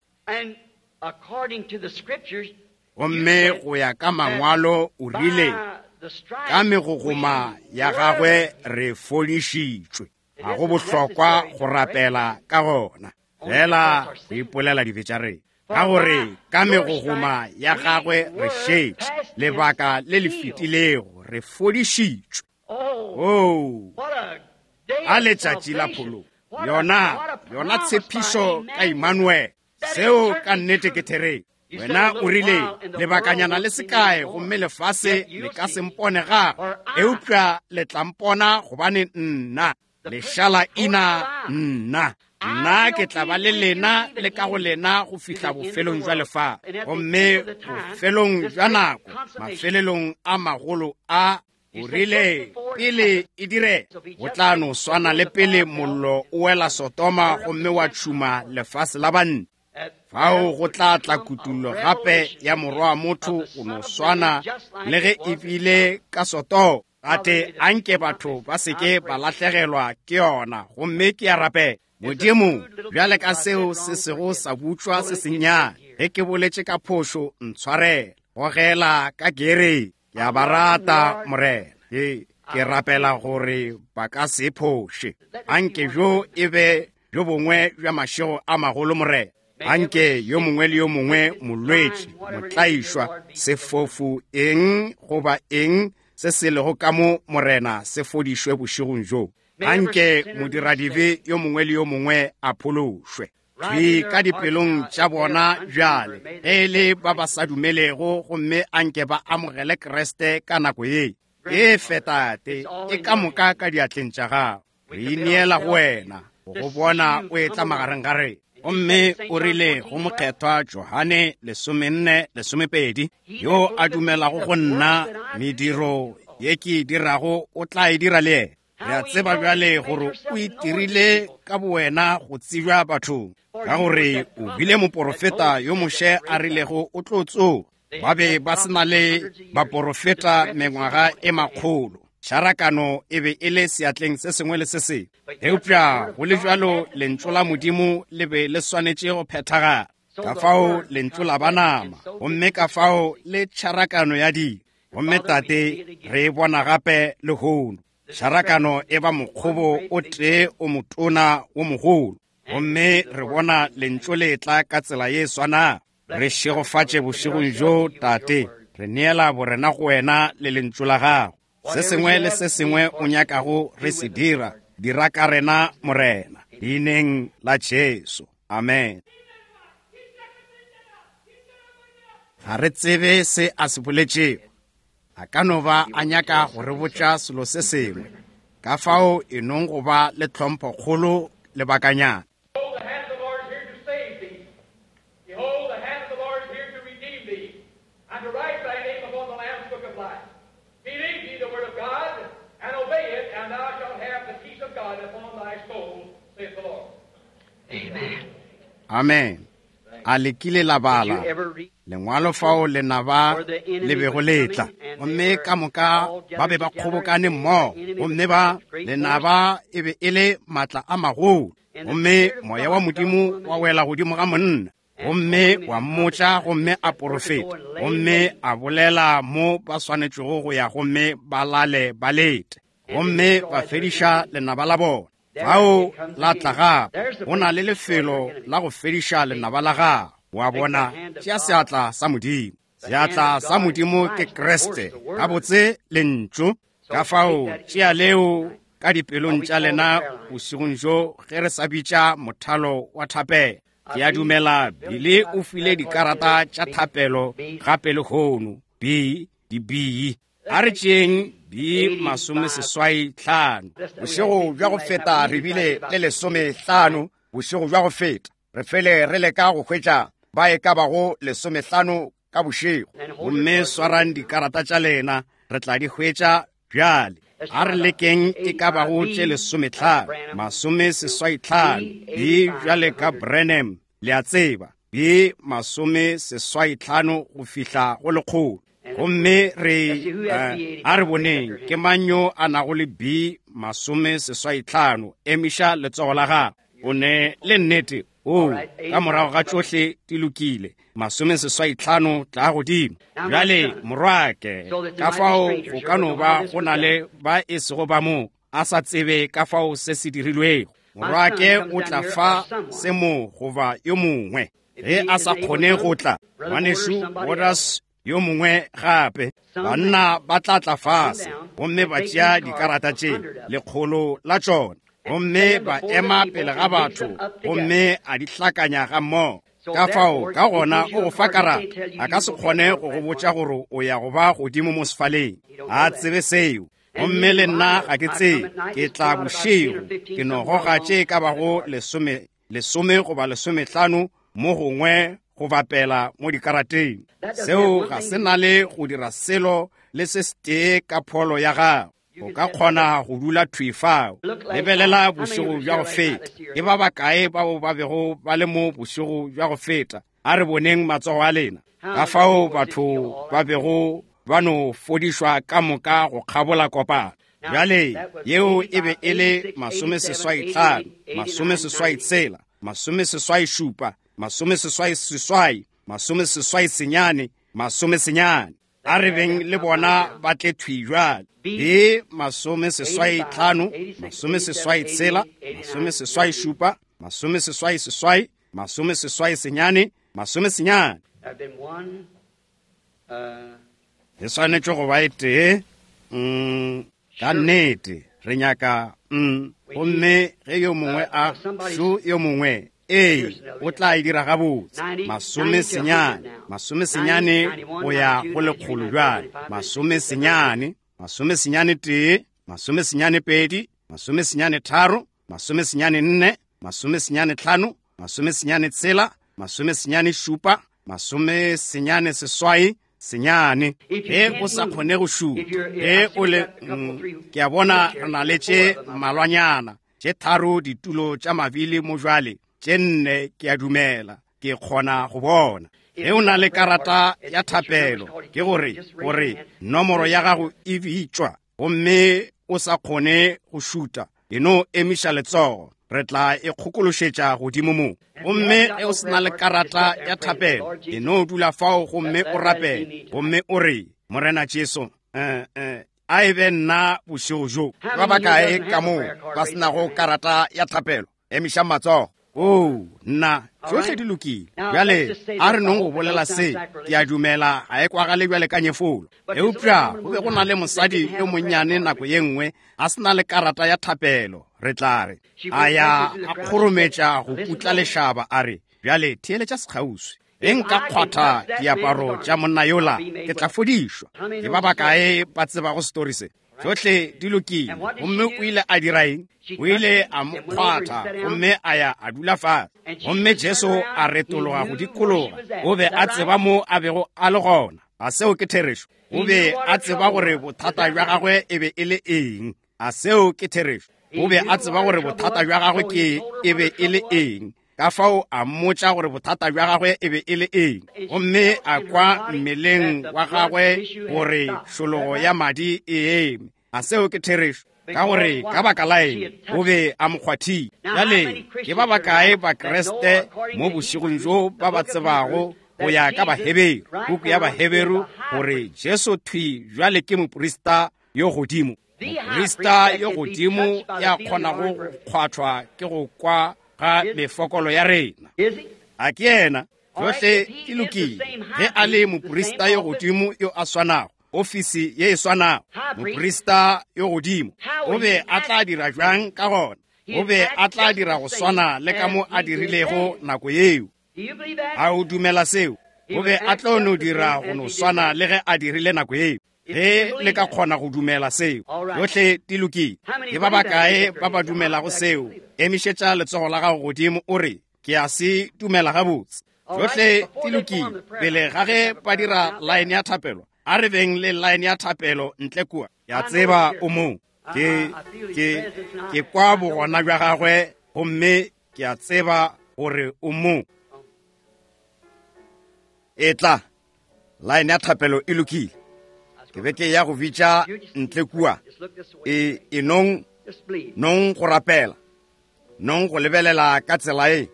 Gomme go ya ka mangwalo o rile, ka megogoma ya gagwe re fodišitšwe. Ga go bohlokwa go rapela ka gona, fela go ipolela dibe tša rena, ka gore ka megogoma ya gagwe re šetše lebaka le le fetilego re fodišitšwe. Oh, a letšatši la phologo, yona yona tshepišo ka Emmanuel. Seo ka nnete ke therešo. Wena o rile lebakanyana le sekae gomme lefase le ka se mpone gape, eupša le tla mpona gobane nna lešala ina Nna, nna ke tla ba le lena le ka go lena go fihla bofelong jwa lefase. Gomme bofelong jwa nako, mafelelong a magolo a, o rile pele e dire, go tla no swana le pele mollo o wela Sodoma gomme wa tšhuma lefase la banna. Fao go tla tla kutullo gape ya morwa wa motho go no swana le ge e bile ka Sodoma. Tate, anke batho ba se ke ba lahlegelwa ke yona, gomme ke a rapela. Modimo, bjale ka seo se sego sa butšwa se sennyane, ge ke boletše ka phošo, ntshwarele. Gogela ka gere, ke a ba rata, Morena. Ke, ke rapela gore ba ka se phoše. Anke bjo e be bjo bongwe bja mašego a magolo, Morena. Anke yo mongwe le yo mongwe molwetši, motlaišwa, sefofu, eng goba eng se se lego ka mo, Morena, se fodišwe bošegong bjo. Anke modiradibe yo mongwe le yo mongwe a phološwe. Thwi ka dipelong tša bona bjale, ge e le ba ba sa dumelego, gomme anke ba amogele Kriste ka nako ye. E fe, Tate, e ka moka ka diatleng tša gago. Re ineela go wena, go go bona o etla magareng ga rena. Gomme o rile go mokgethwa Johane lesomenne lesomepedi, yo a dumelago go nna, mediro ye ke e dirago o tla e dira le yena. Re a tseba bjale gore o itirile ka bowena go tsebja bathong, ka gore o bile moporofeta yo Moshe a rilego o tlo tsoga. Ba be ba se na le baporofeta mengwaga e makgolo. Tšharakano e be e le seatleng se sengwe le se sengwe. Eupša go le bjalo lentšu la Modimo le be le swanetše go phethagala. Ka fao lentšu la ba nama, gomme ka fao le tšharakano ya dilo. Gomme Tate, re e bona gape lehono. Tšharakano e ba mokgobo o tee o motona wo mogolo. Gomme re bona lentšu le tla ka tsela ye swanago. Re šegofatše bošegong bjo, Tate. Re neela borena go wena le lentšu la gago. Se sengwe le se sengwe o nyakago re se dira, dira ka rena, Morena. Leineng la Jesu. Amen. Ga re tsebe se a se boletšego. A ka no ba a nyaka go re botša selo se sengwe. Ka fao e nong go ba le tlhomphokgolo lebakanyana. Behold, the hand of the Lord is here to save thee. Behold, the hand of the Lord is here to redeem thee, and to write thy name upon the Lamb's book of life. Believe ye the word of God, and obey it, and thou shalt have the peace of God upon thy soul, saith the Lord. Amen. Amen. A le kile la bala lengwalo fao lenaba le bego le tla, gomme ka moka ba be ba kgobokane mmogo, gomme ba lenaba e be e le maatla a magolo, gomme moya wa Modimo wa wela godimo ga monna, gomme wa mmotša, gomme a porofeta, gomme a bolela mo ba swanetšego go ya, gomme ba lale ba lete, gomme ba fediša lenaba la bona. Fao la tla gape, go na le lefelo la go fediša lenaba la gago. Wa bona, tšea seatla sa Modimo. Seatla sa Modimo ke Kriste, gabotse lentšu. Ka fao tšea leo ka dipelong tša lena bošegong bjo ge re sa bitša mothalo wa thapelo. Ke a dumela Billy o file dikarata tša thapelo gape lehono, B di B. A re tšeeng B masomeseswai hlano. Bošego bja go feta re bile le lesomehlano, bošego bja go feta re fele re leka go hwetša ba e ka bago lesomehlano ka bošego. Gomme swarang dikarata tša lena, re tla di hwetša bjale. A re lekeng e ka bago tše lesomehlano, masomeseswai hlano, B bjale ka Branham, le a tseba, B masomeseswai hlano go fihla go lekgolo. Gomme re uh, a re boneng ke mang yo a nago le B masomeseswai hlano. Emiša letsogo la gago. O ne le nnete. O, ka morago ga tšohle di lokile. Masomeseswai hlano tla godimo. Bjale morwake, ka fao go ka no ba go na le ba e sego ba mo a sa tsebe ka fao se se dirilwego. Morwake o tla fa se mo goba yo mongwe. Ge a sa kgone go tla, ngwanešu Waters yo mongwe gape, banna ba tla tla fase gomme ba tšea dikarata tše lekgolo la tšona, gomme ba ema pele ga batho gomme a di hlakanya ga mmogo. Ka fao ka gona o go fa karata, a ka se kgone go go botša gore o ya go ba godimo mo sefaleng. A tsebe seo. Gomme le nna ga ke tsebe, ke tla bošego, ke no goga tše ka bago lesome, lesome goba lesomehlano mo gongwe go bapela mo dikarateng. Seo ga se na le go dira selo le se setee ka pholo ya gago. O ka kgona go dula thwi fao. Lebelela bošego bja go feta. Ke ba bakae bao ba bego ba le mo bošego bja go feta? A re boneng matsogo a lena. Ka fao batho ba bego ba no fodišwa ka moka go kgabola kopano. Bjale yeo e be e le masomeseswai hlano, masomeseswai tshela, masomeseswai šupa, masomeseswai seswai, masomeseswai senyane, masomesenyane. A re beng le bona ba tle thwi bjale. B masomeseswai hlano, masomeseswai tshela, masomeseswai šupa, masomeseswai seswai, masomeseswai senyane, masomesenyane. E swanetše go ba e tee. Mm, ka nnete re nyaka mm, gomme ge yo mongwe a šo yo mongwe, ee, o tla e dira gabotse. Masomesenyane, masomesenyane go ya go lekgolo bjale. Masomesenyane, masomesenyane tee, masomesenyane pedi, masomesenyane tharo, masomesenyane nne, masomesenyane hlano, masomesenyane tshela, masomesenyane šupa, masomesenyane seswai, senyane. Ge o sa kgone go šupa, ge o le mm, ke a bona re na le tše mmalwanyana, tše tharo ditulo tša mabili mo jwale, tše nne ke a dumela, ke kgona go bona. Ge o na le karata ya thapelo, ke gore gore nomoro ya gago e bitšwa, gomme o sa kgone go šuta, e no emiša letsogo, re tla e kgokološetša godimo mo. Gomme ge o se na le karata ya thapelo, e no dula fao gomme o rapele, gomme o re, Morena Jesu, eh, eh, a e be nna bošego bjo. Ba bakae ka moo ba se nago karata ya thapelo? Emišang matsogo. Oh, nna, tšohle di lokile. Bjale a re nong go bolela se, ke a dumela ga e kwagale bjale ka nyefolo. Eupša go be go na le mosadi yo monnyane nako ye nngwe a se na le karata ya thapelo, re tla re a ya a kgorometša go putla lešaba, a re, bjale theeletša sekgauswi, ge nka kgwatha diaparo tša monna yola, ke tla fodišwa. Ke ba bakae ba tsebago story se? Tšohle di lokile. Gomme o ile a dira eng? O ile a mo kgwatha gomme a ya a dula fase. Gomme Jesu a retologa go dikologa. O be a tseba mo a bego a le gona. A seo ke therešo? O be a tseba gore bothata bja gagwe e be e le eng. A seo ke therešo? O be a tseba gore bothata bja gagwe ke e be e le eng. Ka fao a mmotša gore bothata bja gagwe e be e le eng. Gomme a kwa mmeleng wa gagwe gore šologo ya madi e eme. A seo ke therešo? Ka gore ka baka la eng o be a mo kgwathile. Bjale ke ba bakae Bakreste mo bošegong bjo ba ba tsebago go ya ka Baheberu, puku ya Baheberu, gore Jesu thwi bjale ke moprista yo godimo, moprista yo godimo ya kgonago go kgwathwa ke go kwa ga mefokolo ya rena. A ke yena? Tšohle di lokile. Ge a le moprista yo godimo yo a swanago, ofisi ye e swanago, moprista yo godimo, o be a tla dira bjang ka gona? O be a tla dira go swana le ka mo a dirilego nako yeo. A o dumela seo? O be a tlo no dira go no swana le ge a dirile nako yeo. Ge le ka kgona go dumela seo, tšohle di lokile. Ke ba bakae ba ba dumelago seo? Emišetša letsogo la gago godimo o re, ke a se dumela gabotse. Tšohle di lokile. Pele ga ge ba dira line ya thapelo, a re beng le line ya thapelo ntle kua. Ke a tseba o mo. Ke, ke, ke kwa bogona bja gagwe, gomme ke a tseba gore o mo. Etla, line ya thapelo e lokile. Ke be ke ya go bitša ntle kua. E, e nong, nong go rapela, nong go lebelela ka tsela e,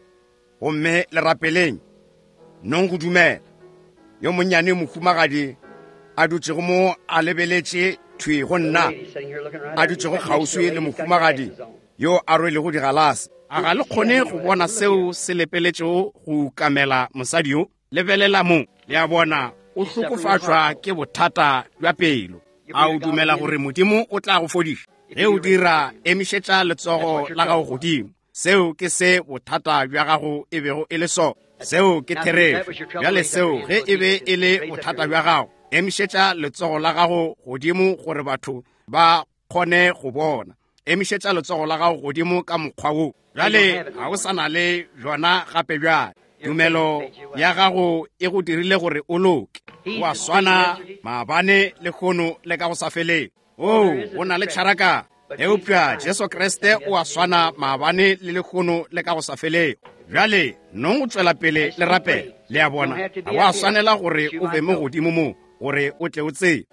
gomme le rapeleng, nong go dumela. Yo monnyane mohumagadi a dutšego mo a lebeletše thwi go nna, a dutšego kgauswi le mohumagadi yo a rwelego digalase. A ga le kgone go bona seo se lepeletšego go ukamela mosadi yo? Lebelela mo, le a bona, o hlokofatšwa ke bothata bja pelo. A o dumela gore Modimo o tla go fodiša? Ge o dira, emišetša letsogo la gago godimo. Seo ke se bothata bja gago e bego e le sona. Seo ke therešo. Bjale seo ge e be e le bothata bja gago, emišetša letsogo la gago godimo gore batho ba kgone go bona. Emišetša letsogo la gago godimo ka mokgwa wo. Bjale ga o sa na le bjona gape bjale. Tumelo ya gago e go dirile gore o loke. O a swana maabane le lehono le ka go sa feleng. Oo, go na le tšharakano. Eupša Jesu Kriste o a swana maabane le lehono le ka go sa feleng. Bjale nong go tšwela pele le rapela. Le a bona, ga wa swanela gore o be mo godimo mo gore o tle o tsebe.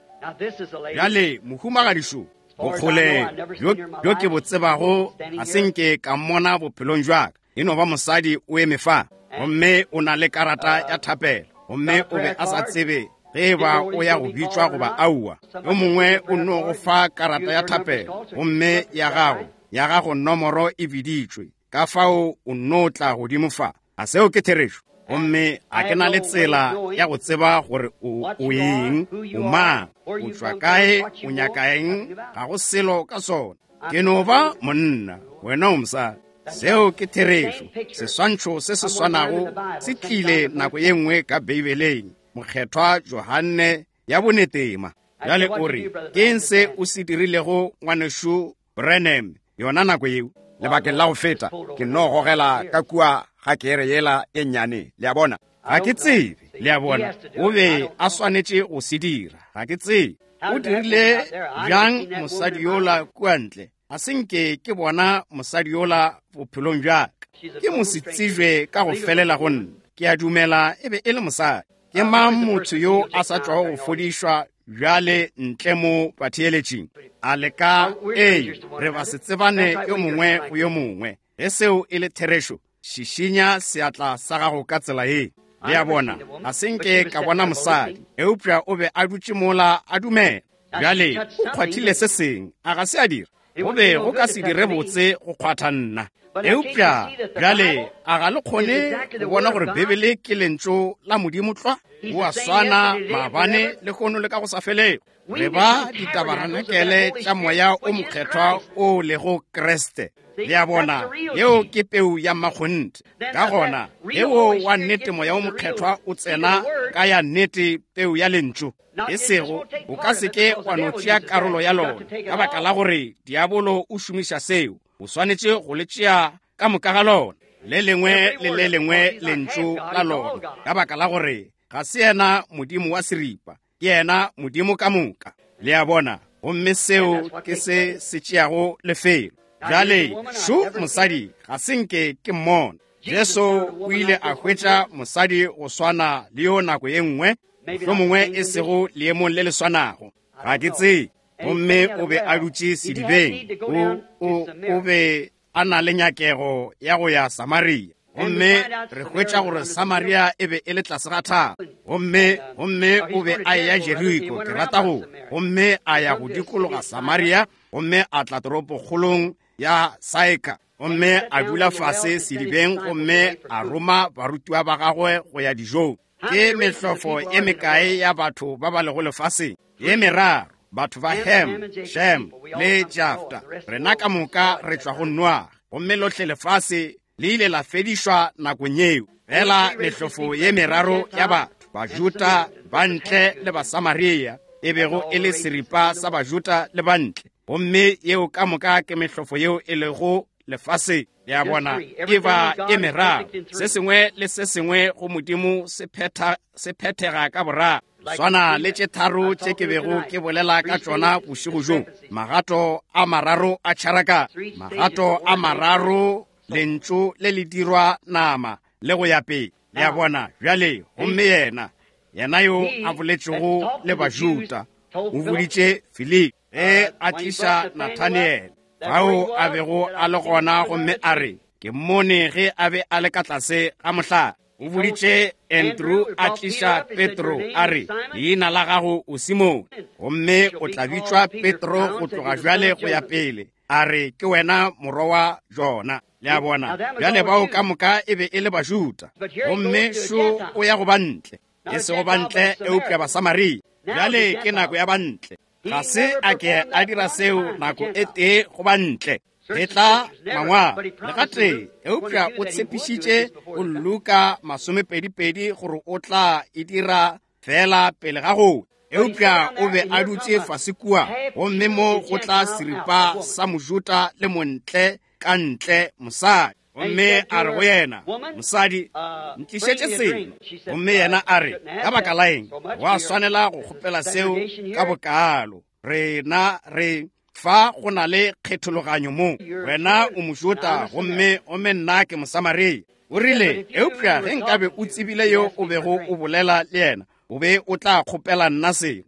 Bjale mohumagadišo, bokgole bjo bjo ke bo tsebago ga se nke ka mmona bophelong bja ka. E no ba mosadi o eme fa, gomme o na le karata ya thapelo, gomme o be a sa tsebe ge e ba o ya go bitšwa goba aowa. Yo mongwe o no go fa karata ya thapelo, gomme ya gago ya gago nomoro e biditšwe, ka fao o no tla godimo fa. A seo ke therešo? Gomme ga ke na le tsela ya go tseba gore o o eng, o mang, o tšwa kae, o nyaka eng, ga go selo ka sona. Ke no ba monna, wena o mosadi. Seo ke therešo. Seswantšho se se swanago se tlile nako ye nngwe ka Beibeleng, Mokgethwa Johanne ya bonetema. Bjale o re, ke eng se o se dirilego ngwanešu Branham yona nako yeo? Lebakeng la go feta, ke no gogela ka kua ga kere yela e nnyane. Le a bona? Ga ke tsebe. Le a bona? O be a swanetše go se dira. Ga ke tsebe. O dirile bjang mosadi yola kua ntle? Ga se nke ke bona mosadi yola bophelong bja ka. Ke mosetsebje ka go felela go nna. Ke a dumela e be e le mosadi. Ke mang motho yo a sa tšwago go fodišwa bjale ntle mo batheeletšing? A le ka ee, re ba se tsebane yo mongwe go yo mongwe. Ge seo e le therešo, šišinya seatla sa gago ka tsela ye. Le a bona, ga se nke ka bona mosadi, eupša o be a dutše mola a dumela. Bjale o kgwathile se seng, a ga se a dira? Go be go ka se dire botse go kgwatha nna. Eupša bjale a ga le kgone go bona gore Bibele ke lentšu la Modimo tlwa? O a swana maabane le lehono le ka go sa felego. Re ba ditabarenakele tša moya o mokgethwa o lego Kriste. Le a bona, yeo ke peu ya mmakgonthe. Ka gona, yeo wa nnete moya o mokgethwa o tsena ka ya nnete peu ya lentšu. E sego, o ka se ke wa no tšea karolo ya lona, ka baka la gore diabolo o šomiša seo. O swanetše go le tšea ka moka ga lona, le lengwe le le lengwe lentšu la lona, ka baka la gore ga se yena Modimo wa seripa, ke yena Modimo ka moka. Le a bona? Gomme seo ke se se tšeago lefelo. Bjale šo mosadi ga se nke ke mmona. Jesu o ile a hwetša mosadi go swana le yo nako ye nngwe, mohlomongwe e sego leemong le le swanago. Ga ke tsebe. Gomme o be a dutše sedibeng. O, o, o be a na le nyakego ya go ya Samaria. Gomme re hwetša gore Samaria e be e le tlase ga thaba. Gomme, gomme o be a eya Jeriko, ke rata go. Gomme a ya go dikologa Samaria, gomme a tla toropokgolong ya Saika. Gomme a dula fase sedibeng, gomme a roma barutiwa ba gagwe go ya dijong. Ke mehlofo e mekae ya batho ba ba lego lefaseng? Ye meraro. Batho ba Ham, Shem le Jafta. Rena ka moka re tšwa go Noa. Gomme lohle lefase le ile la fedišwa nakong yeo. Fela mehlofo ye meraro ya batho, Bajuda, Bantle le Basamaria, e bego e le seripa sa Bajuda le Bantle. Gomme yeo ka moka ke mehlofo yeo e lego lefaseng. Le a bona, e ba e meraro. Se sengwe le se sengwe go Modimo se phetha se phethega ka boraro. Swana le tše tharo tše ke bego ke bolela ka tšona bošego bjo. Magato a mararo a tšharakano, magato a mararo, lentšu le le dirwa nama le go ya pele. Le a bona? Bjale, gomme yena, yena yo a boletšego le Bajuda, o boditše Filipi ge a tliša Nathaniele, fao a bego a le gona, gomme a re, ke mmone ge a be a le ka tlase ga mohlare. O boditše Andrew a tliša Petro, a re, leina la gago o Simone, gomme o tla bitšwa Petro go tloga bjale go ya pele. A re, ke wena morwa wa Jona. Le a bona? Bjale bao ka moka e be e le Bajuda. Gomme šo o ya go bantle, e sego bantle eupša Basamaria. Bjale ke nako ya bantle. Ga se a ke a dira seo nako e tee go bantle. E tla mangwalo le gatee, eupša o tshepišitše go Luka masomepedipedi gore o tla e dira fela pele ga go. Eupša o be a dutše fase kua, gomme mo go tla seripa sa Mojuda le montle ka ntle mosadi. Gomme a re go yena, mosadi, ntlišetše seno. Gomme yena a re, ka baka la eng wa swanela go kgopela seo ka bokalo? Rena re fa go na le kgethologanyo mo. Wena o Mojuda gomme gomme nna ke Mosamaria. O rile, eupša ge nkabe o tsebile yo o bego o bolela le yena, o be o tla kgopela nna seno.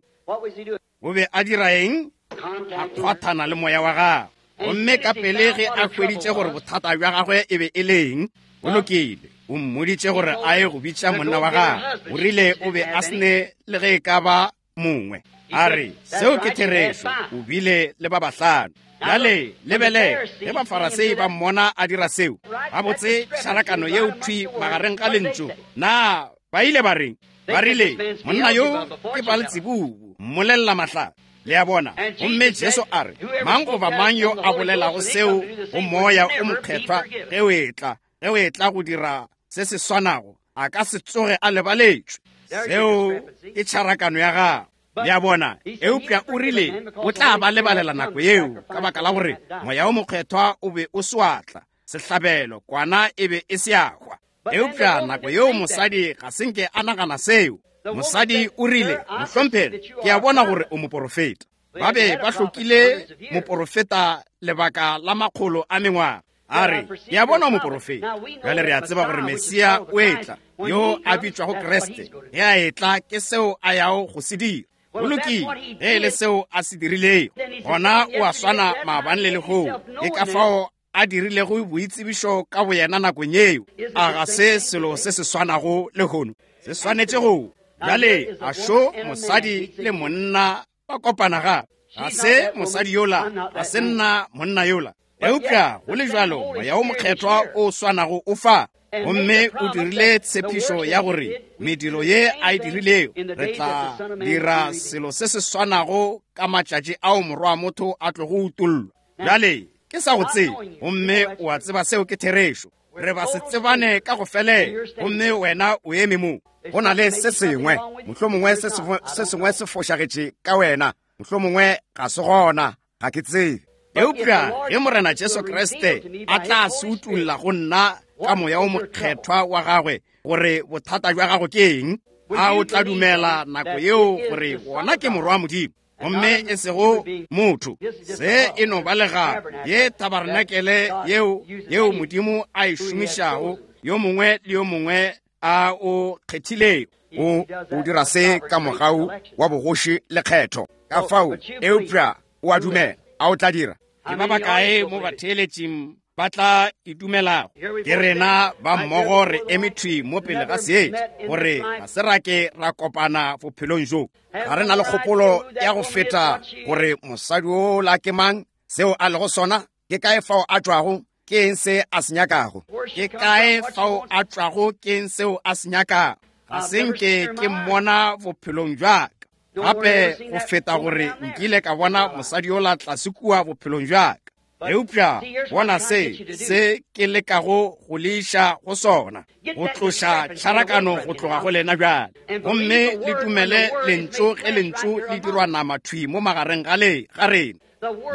O be a dira eng? A kgwathana le moya wa gagwe. Gomme ka pele ge a hweditše gore bothata bja gagwe e be e leng, o lokile, o mmoditše gore a ye go bitša monna wa gagwe. O rile o be a sene le ge e ka ba mongwe. A re, seo ke therešo, o bile le ba bahlano. Bjale lebelele ge Bafarasei ba mmona a dira seo, gabotse tšharakano yeo thwi magareng ga lentšu. Na ba ile ba reng? Ba rile, monna yo ke Baaltsebubu, mmolelela mahlatse. Le a bona? Gomme Jesu a re, mang goba mang yo a bolelago seo go moya o mokgethwa ge o etla, ge o etla go dira se se swanago, a ka se tsoge a lebaletšwe. Seo ke tšharakano ya gagwe. Le a bona? Eupša o rile o tla ba lebalela nako yeo, ka baka la gore moya o mokgethwa o be o se wa tla, sehlabelo kwana e be e se ya hwa. Eupša nako yeo mosadi ga se nke a nagana seo. Mosadi o rile, mohlomphegi, ke a bona gore o moporofeta. Ba be ba hlokile moporofeta lebaka la makgolo a mengwaga. A re, ke a bona o moporofeta. Bjale re a tseba gore Mesia o etla, yo a bitšwago Kriste. Ge a etla, ke seo a yago go se dira. Go lokile, ge e le seo a se dirilego, gona o a swana maabane le lehono. Ke ka fao a dirilego boitsebišo ka boyena nakong yeo. A ga se selo se se swanago lehono? Se swanetše go. Bjale a šo mosadi le monna ba kopana gape. Ga se mosadi yola, ga se nna monna yola. Eupša go le bjalo moya o mokgethwa o swanago o fa. Gomme o dirile tshepišo ya gore mediro ye a e dirilego, re tla dira selo se se swanago ka matšatši ao morwa wa motho a tlogo utollwa. Bjale ke sa go tsebe, gomme o a tseba seo ke therešo. Re ba se tsebane ka go felela, gomme wena o eme mo. Go na le se sengwe, mohlomongwe se se sengwe se fošagetše ka wena, mohlomongwe ga se gona, ga ke tsebe. Eupša ge Morena Jesu Kriste a tla se utolla go nna ka moya o mokgethwa wa gagwe gore bothata bja gago ke eng, a o tla dumela nako yeo gore wona ke morwa wa Modimo, gomme e sego motho? Se e no ba legato ye tabarenakele yeo yeo Modimo a e šomišago, yo mongwe le yo mongwe a o kgethilego. O o dira se ka mogau wa bogoši le kgetho. Ka fao, eupša o a dumela, a o tla dira? Ke ba bakae mo batheeletšing ba tla e dumelago? Ke rena ba mmogo re eme thwi mo pele ga seetša, gore ga se ra ke ra kopana bophelong bjo. Ga re na le kgopolo ya go feta gore mosadi ola ke mang, seo a lego sona, ke kae fao a tšwago, ke eng se a se nyakago. Ke kae fao a tšwago, ke eng seo a se nyakago. Ga se nke ke mmona bophelong bja ka. Gape go feta gore nkile ka bona mosadi yola tlase kua bophelong bja ka. Eupša bona se se ke lekago go le iša go sona, go tloša tšharakano go tloga go lena bjale. Gomme le dumele lentšu ge lentšu le dirwa nama thwi mo magareng ga le ga rena.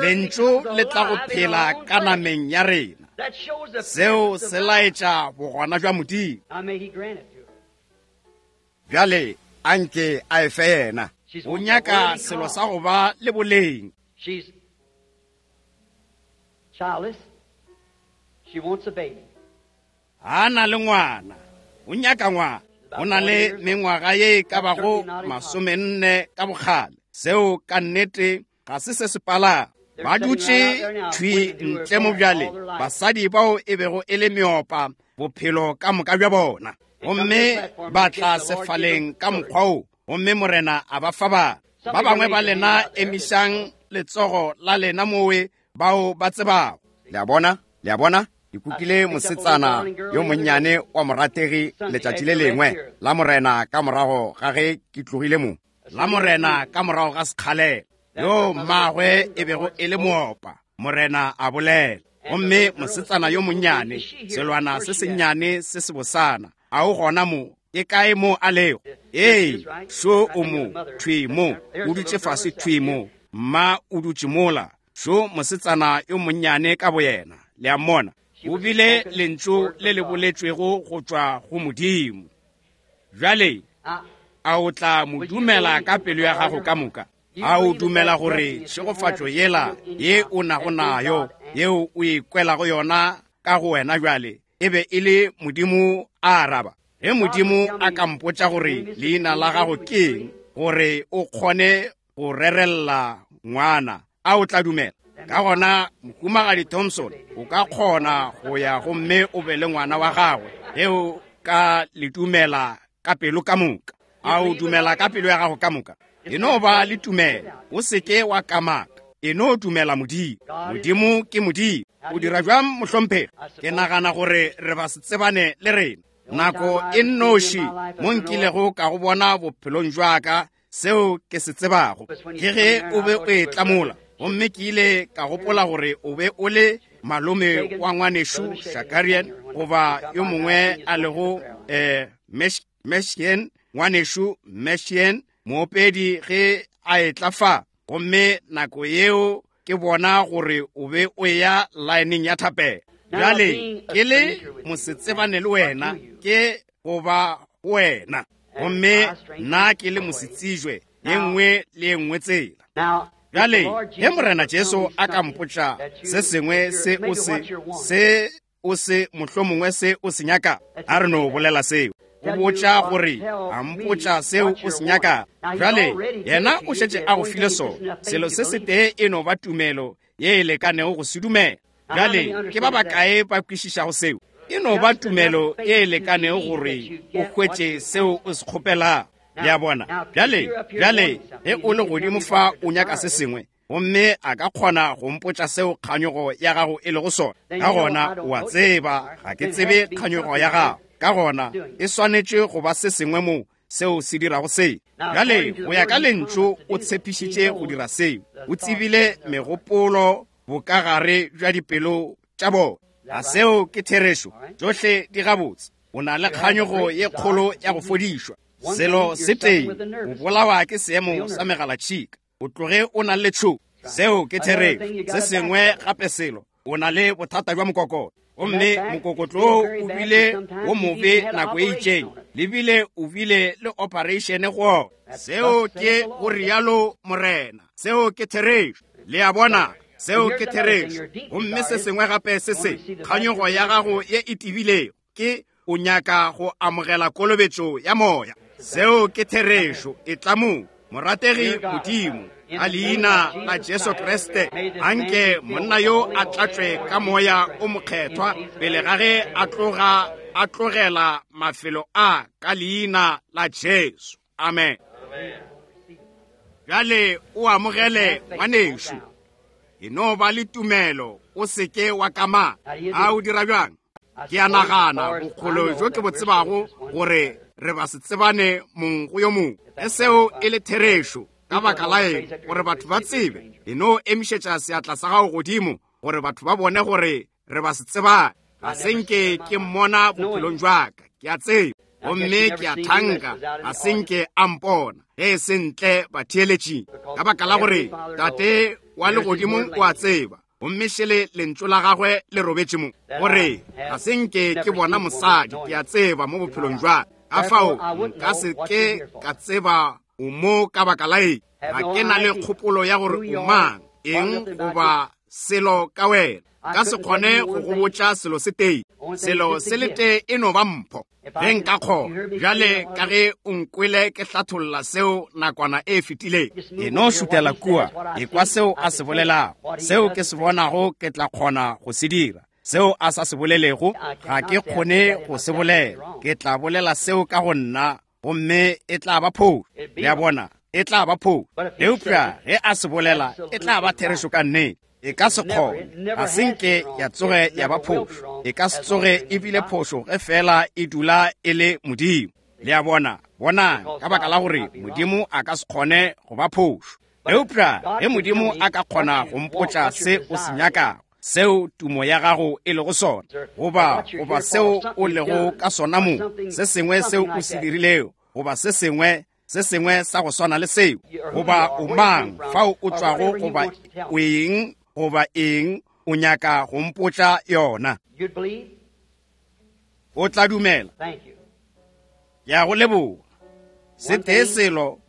Lentšu le tla go phela ka nameng ya rena. Seo se laetša bogona bja Modimo. Bjale anke a e fe yena. O nyaka selo sa go ba le boleng. Childless. She wants a baby. A na le ngwana, o nyaka ngwana. O na le mengwaga ye e ka bago masomenne ka bokgale. Seo ka nnete ga se se se palago. Ba dutše thwi ntle mo bjale, basadi bao e bego e le meopa bophelo ka moka bja bona, gomme ba tla sefaleng ka mokgwa wo, gomme Morena a ba fa bana. Ba bangwe ba lena emišang letsogo la lena mowe bao ba tsebago. Le a bona? Le a bona? Ke kukile mosetsana yo monnyane wa morategi letšatši le lengwe la Morena ka morago ga ge ke tlogile mo. La Morena ka morago ga sekgalela, yo mmagwe e bego e le moopa, Morena a bolela. Gomme mosetsana yo monnyane, selwana se sennyane se sebosana, a o gona mo, Ke kae mo a lego? Ee, šo o mo, thwi mo, o dutše fase thwi mo. Mma o dutše mola. Šo mosetsana yo monnyane ka boyena. Le a mmona? O bile lentšu le le boletšwego go tšwa go Modimo. Bjale, a o tla mo dumela ka pelo ya gago ka moka? A o dumela gore tšhegofatšo yela ye o nago nayo, yeo o e kwelago yona ka go wena bjale, e be e le Modimo a araba? Ge Modimo a ka mpotša gore leina la gago ke eng, gore o kgone go rerella ngwana, a o tla dumela? Ka gona, Mohumagadi Thompson, o ka kgona go ya gomme o be le ngwana wa gagwe, ge o ka le dumela ka pelo ka moka. A o dumela ka pelo ya gago ka moka? E no ba le tumelo, o se ke wa kamaka. E no dumela Modimo. Modimo ke Modimo. O dira bjang, mohlomphegi? Ke nagana gore re ba se tsebane le rena. Nako e nnoši mo nkilego ka go bona bophelong jwa ka, seo ke se tsebago, ke ge o be o e tlamola. Gomme ke ile ka gopola gore o be o le malome wa ngwanešu Shakarian, goba yo mongwe a lego eh, Meshian, ngwanešu Meshian, moopedi ge a etla fa. Gomme nako yeo ke bona gore o be o ya laeneng ya thapelo. Bjale ke le mosetsebane le wena, ke goba wena. Gomme nna ke le mosetsijwe ye nngwe le ye nngwe tsela. Bjale ge Morena Jesu a ka mpotša se sengwe se o se se o se mohlomongwe se o se nyaka, a re no bolela seo. O botša gore a mpotša seo o se nyaka. Bjale yena o šetše a go file sona. Selo se setee e no ba tumelo ye e lekanego go se dumela. Bjale ke ba bakae ba kwešišago seo? E no ba tumelo ye e lekanego gore o hwetše seo o se kgopelago. Le a bona? Bjale, bjale ge o le godimo fa o nyaka se sengwe, gomme a ka kgona go mpotša seo kganyogo ya gago e lego sona, ka gona o a tseba ga ke tsebe kganyogo ya gago. Ka gona e swanetše go ba se sengwe mo seo se dirago seo. Bjale go ya ka lentšu o tshepišitše go dira seo. O tsebile megopolo bokagare bja dipelo tša bona. A seo ke therešo? Tšohle di gabotse. O na le kganyogo ye kgolo ya go fodišwa. Selo se tee, o bolawa ke seemo sa megalatšhika. O tloge o na le tšhogo. Seo ke therešo. Se sengwe gape selo, o na le bothata bja mokokotlo. Gomme mokokotlo o bile wo mobe nako e itšeng, le bile o bile le operation go ona. Seo ke go rialo Morena. Seo ke therešo. Le a bona? Seo ke therešo. Gomme se sengwe gape se se, kganyogo ya gago ye e tibilego ke o nyaka go amogela kolobetšo ya moya. Seo ke therešo. E tla mo, morategi Modimo, ka leina la Jesu Kriste, anke monna yo a tlatšwe ka moya o mokgethwa pele ga ge a tloga a tlogela mafelo a, ka leina la Jesu. Amen. Bjale o amogele ngwanešu. E no ba le tumelo, o se ke wa kamaka. A o dira bjang? Ke a nagana bokgolo jo ke bo tsebago gore re ba se tsebane mong go yo mongwe. Ge seo e le therešo, ka baka la eng gore batho ba tsebe, e no emišetša seatla sa gago godimo gore batho ba bone gore re ba se tsebane. Ga se nke ke mmona bophelong jwa ka, ke a tseba, gomme ke a thanka ga se nke a mpona ge e se ntle batheeletšing, ka baka la gore Tate wa legodimong o a tseba, gomme šele lentšu la gagwe le robetše mo, gore ga se nke ke bona mosadi, ke a tseba mo bophelong jwa ka. Ka fao nka se ke ka tseba o mo ka baka la eng. Ga ke na le kgopolo ya gore o mang, eng goba selo ka wena. Ka se kgone go go botša selo se tee. Selo se le tee e no ba mpho. Ge nka kgona, bjale ka ge o nkwele ke hlatholla seo nakwana e fetileng, e no šutela kua, e kwa seo a se bolelago. Seo ke se bonago ke tla kgona go se dira. Seo a sa se bolelego ga ke kgone go se bolela. Ke tla bolela seo ka go nna, gomme e tla ba phošo. Le a bona? E tla ba phošo. Eupša ge a se bolela, e tla ba therešo ka nnete. E ka se kgone, ga se nke ya tsoge ya ba phošo. E ka se tsoge e bile phošo ge fela e dula e le Modimo. Le a bona? Bonang, ka baka la gore Modimo a ka se kgone go ba phošo. Eupša ge Modimo a ka kgona go mpotša se o se nyakago, seo tumo ya gago e lego sona, goba goba seo o lego ka sona mo, se sengwe seo o se dirilego, goba se sengwe se sengwe sa go swana le seo, goba o mang, fao o tšwago, goba o eng, goba eng o nyaka go mpotša yona. O tla dumela. Ya go leboga. Se tee selo,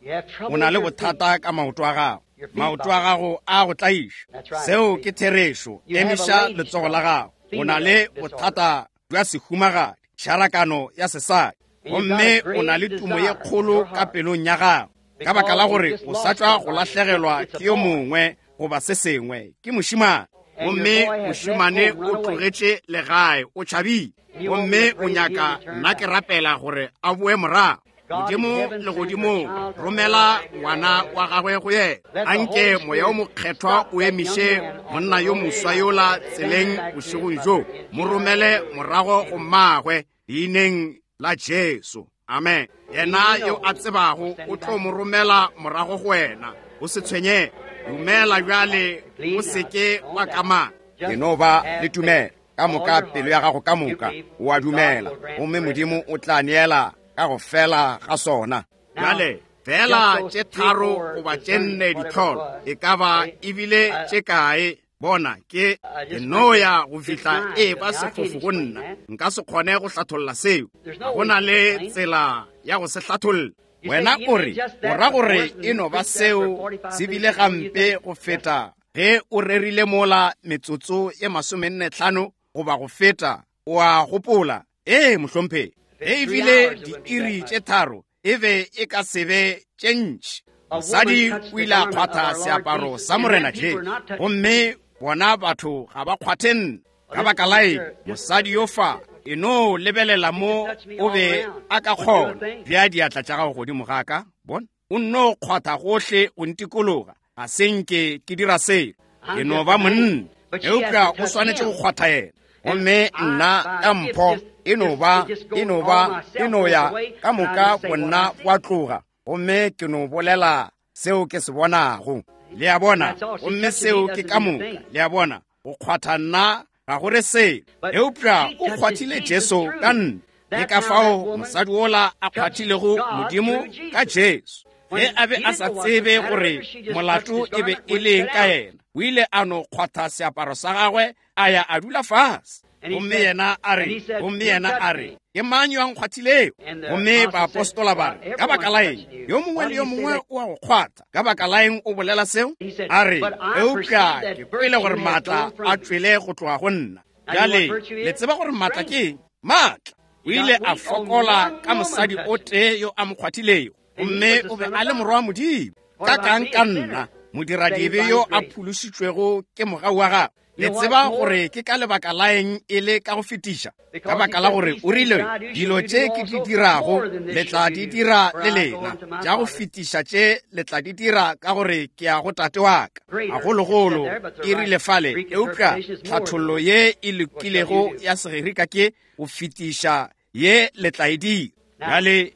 o na le bothata ka maoto a gago. Maoto a gago a go tlaiša. Seo ke therešo. Emiša letsogo la gago. O na le bothata bja sehumagadi, tšharakano ya sesadi. Gomme o na le tumo ye kgolo ka pelong ya gago, ka baka la gore o sa tšwa go lahlegelwa ke yo mongwe goba se sengwe, ke mošemane. Gomme mošemane o tlogetše legae, o tšhabile. Gomme o nyaka nna ke rapela gore a boe morago. Modimo legodimong, romela ngwana wa gagwe go yena. Anke moya o mokgethwa o emiše monna yo moswa yola tseleng bošegong bjo, mo romele morago go mmagwe leineng la Jesu. Amen. Yena yo a tsebago o tlo mo romela morago go wena. O se tshwenyege. Dumela bjale, o se ke wa kamaka. E no ba le tumelo ka moka, pelo ya gago ka moka, o a dumela, gomme Modimo o tla neela ka go fela ga sona. Bjale fela tše tharo goba tše nne ditlholo, e ka ba ebile tše kae, bona ke ke no ya go fihla e ba sefofu go nna. Nka se kgone go hlatholla seo. Ga go na le tsela ya go se hlatholla. Wena o re, o ra gore e no ba seo se bile gampe go feta ge o rerile mola metsotso ye masomenne tlhano goba go feta, o a gopola. Ee, mohlomphegi. Ge e bile diiri tše tharo, e be e ka se be tše ntši. Mosadi o ile a kgwatha seaparo sa Morena Jesu, gomme bona batho ga ba kgwathe nna. Ka baka la eng mosadi yo fa e no lebelela mo o be a ka kgona bea diatla tša gago godimo ga ka, bona o nno kgwatha gohle go ntikologa, ga se nke ke dira selo, ke no ba monna, eupša o swanetše go kgwatha yena. Gomme nna ka mpho e no ba e no ba e no ya ka moka bonna wa tloga, gomme ke no bolela seo ke se bonago. Le a bona? Gomme seo ke ka moka. Le a bona? Go kgwatha nna ga go re selo, eupša o kgwathile Jesu ka nna. Ke ka fao mosadi wola a kgwathilego Modimo ka Jesu. Ge a be a sa tsebe gore molato e be e leng ka yena, o ile a no kgwatha seaparo sa gagwe, a ya a dula fase. Gomme yena a re, gomme yena a re, ke mang yo a nkgwathilego? Gomme baapostola ba re, ka baka la eng yo mongwe le yo mongwe o a go kgwatha? Ka baka la eng o bolela seo? A re, eupša ke kwele gore maatla a tšwele go tloga go nna. Bjale le tseba gore maatla ke eng? Maatla. O ile a fokola ka mosadi o tee yo a mo kgwathilego, gomme o be a le morwa wa Modimo. Ka kang ka nna, modiradibe yo a phološitšwego ke mogau wa gagwe. Le tseba gore ke ka lebaka la eng e le ka go fetiša? Ka baka la gore o rile, dilo tše ke di dirago le tla di dira le lena, tša go fetiša tše le tla di dira ka gore ke ya go tate wa ka. Gagologolo e rile fale, eupša tlhathollo ye e lokilego ya Segerika ke go fetiša ye le tla e dira. Bjale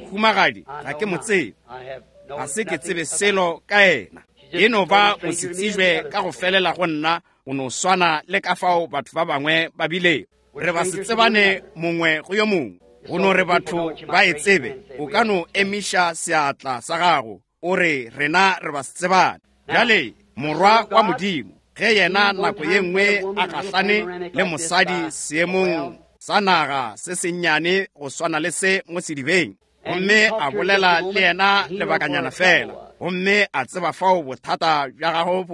mohumagadi ga ke mo tsebe, ga se ke tsebe selo ka yena, e no ba o se tsejwe ka go felela go nna, o no swana le ka fao batho ba bangwe ba bilego. Re ba se tsebane mongwe go yo mongwe, go no re batho ba e tsebe. O ka no emiša seatla sa gago o re rena re ba se tsebane. Bjale morwa wa Modimo, ge yena nako ye nngwe a gahlane le mosadi seemong sa naga se sennyane go swana le se mo sedibeng, gomme a bolela le yena lebakanyana fela, gomme a tseba fao bothata bja gagwe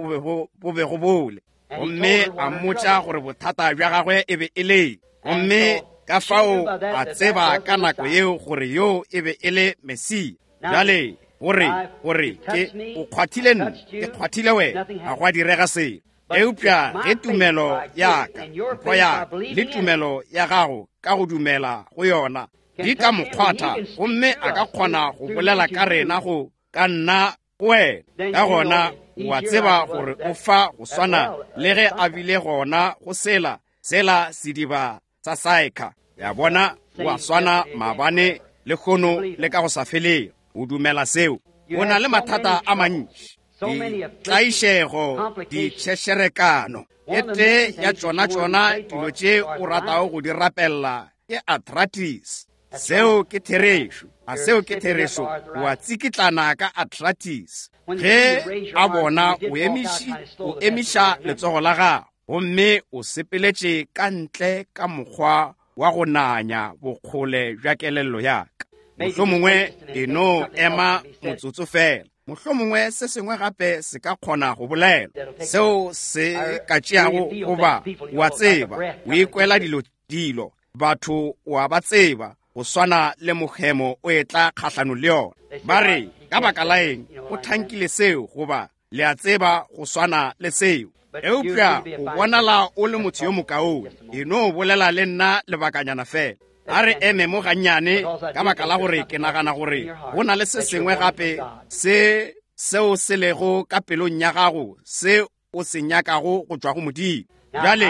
bo bego bole, gomme a mmotša gore bothata bja gagwe e be e le, gomme ka fao a tseba ka nako yeo gore yo e be e le Mesia. Bjale gore gore ke o kgwathile nna, ke kgwathile wena, ga go a direga selo. Eupša ge tumelo ya ka, mpho ya ka, le tumelo ya gago ka go dumela go yona di ka mo kgwatha, gomme a ka kgona go bolela ka rena go ka nna go wena, ka gona o a tseba gore o fa go swana le ge a bile gona go sela sela sediba sa Saekha. Ya bona, o a swana maabane le kgono le ka go sa felego. O dumela seo? O na le mathata a mantši. Ditlaišego, ditšhešerekano. E tee ya tšona tšona dilo tše o ratago go di rapella ke arthritis. Seo ke therešo. A seo ke therešo? O a tsikitlana ka arthritis. Ge a bona o emiši, o emiša letsogo la gago, gomme o sepeletše ka ntle ka mokgwa wa go nanya bokgole bja kelello ya ka. Mohlomongwe e no ema motsotso fela. Mohlomongwe se sengwe gape se ka kgona go bolela. Seo se ka tšeago goba wa tseba, o ikwela dilo dilo, batho wa ba tseba, go swana le mohemo o etla kgahlanong le yona. Ba re, ka baka la eng o thankile seo, goba le a tseba go swana le seo. Eupša o bonala o le motho yo mokaone. E no bolela le nna lebakanyana fela. A re eme mo gannyane, ka baka la gore ke nagana gore go na le se sengwe gape se seo se lego ka pelong ya gago se o se nyakago go tšwa go Modimo. Bjale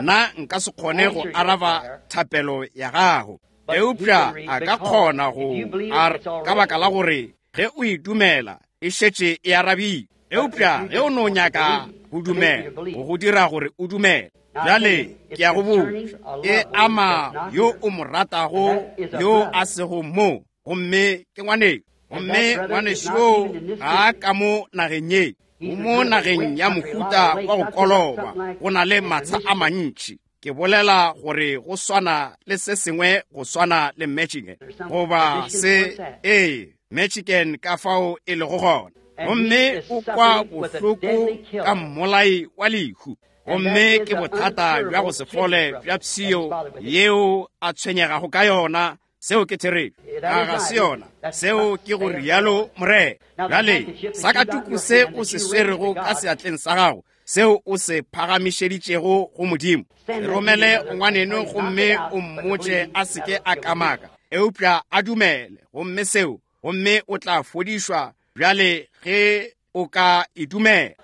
nna nka se kgone go araba thapelo ya gago, eupša a ka kgona go ar ka baka la gore ge o e dumela e šetše e arabile. Eupša ge o no nyaka go dumela, go go dira gore o dumele. Bjale ke a go botša, e ama yo o mo ratago yo a sego mo, gomme ke ngwaneno. Gomme ngwanešu yoo ga a ka mo nageng ye, o mo nageng ya mohuta wa go koloba, go na le matsha a mantši. Ke bolela gore go swana le se sengwe go swana le Michigan, goba se, ee, Michigan ka fao e lego gona. Gomme o kwa bohloko ka mmolai wa lehu. Gomme ke bothata bja go se fole bja pshio yeo a tshwenyegago ka yona. Seo ke therešo. A ga se yona? Seo ke go rialo Morena. Bjale sakatuku se o se swerego ka seatleng sa gago, seo o se phagamišeditšego go Modimo, romele ngwaneno gomme o mmotše a seke a kamaka, eupša a dumele, gomme seo, gomme o tla fodišwa bjale ge o ka e dumela.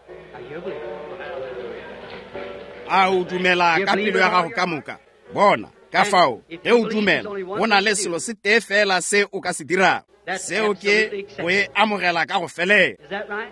A o dumela ka pelo ya gago ka moka? Bona, ka fao, ge o dumela, go na le selo se tee fela se o ka se dirago. Seo ke go e amogela ka go felela.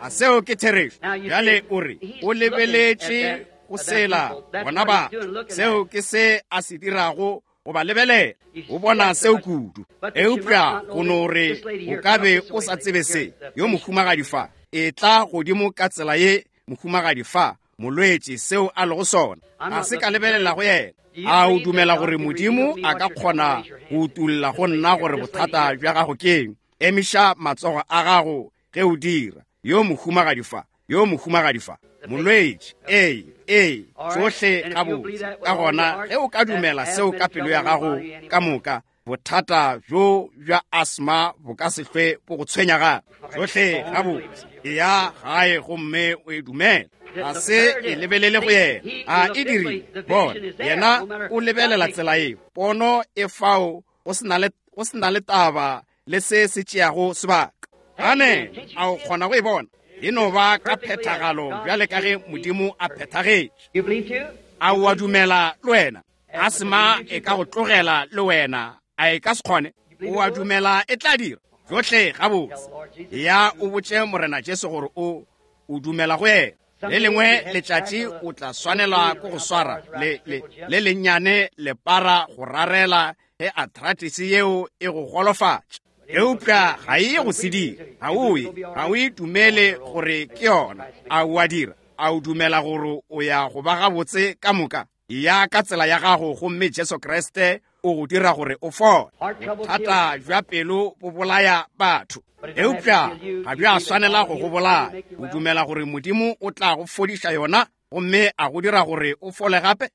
A seo ke therešo? Bjale o re, o lebeletše go sela bona batho. Seo ke se a se dirago go ba lebelela. O bona seo kudu. Eupša go no re o ka be o sa tsebe se. Yo mohumagadi fa, e tla godimo ka tsela ye mohumagadi fa, molwetši seo a lego sona. A se ka lebelela go yena. A o dumela gore Modimo a ka kgona go utulla go nna gore bothata bja gago keng? Emiša matsogo a gago ge o dira. Yo mohumagadi fa, yo mohumagadi fa, molwetši, ee, ee, tsohle gabotse. Ka gona ge o ka dumela seo ka pelo ya gago ka moka, bothata bjo bja asma bo ka se hlwe bo go tshwenya gape. Tsohle gabotse. Eya gae gomme o e dumele. Ga se e lebelele go yena. A e dirile? Bona, yena o lebelela tsela eo. Pono e fao go se na le taba le se se tšeago sebaka. Ane, a o kgona go e bona? E no ba ka phethagalo bjale ka ge Modimo a phethagetše. A o a dumela le wena? Asma e ka go tlogela le wena, a e ka se kgone? O a dumela e tla dira? Tsohle gabotse. Ya o botše Morena Jesu gore o o dumela go yena. Le lengwe letšatši o tla swanelwa ke go swara le le le lennyane lepara go rarela ge arthritis yeo e go golofatša. Eupša ga e go se dira. Ga o e, ga o e dumele gore ke yona. A o a dira? A o dumela gore o ya go ba gabotse ka moka? Ya ka tsela ya gago, gomme Jesu Kriste o go dira gore o fole. Bothata bja pelo bo bolaya batho, eupša ga bja swanela go go bolaya. O dumela gore Modimo o tla go fodiša yona gomme a go dira gore o fole gape?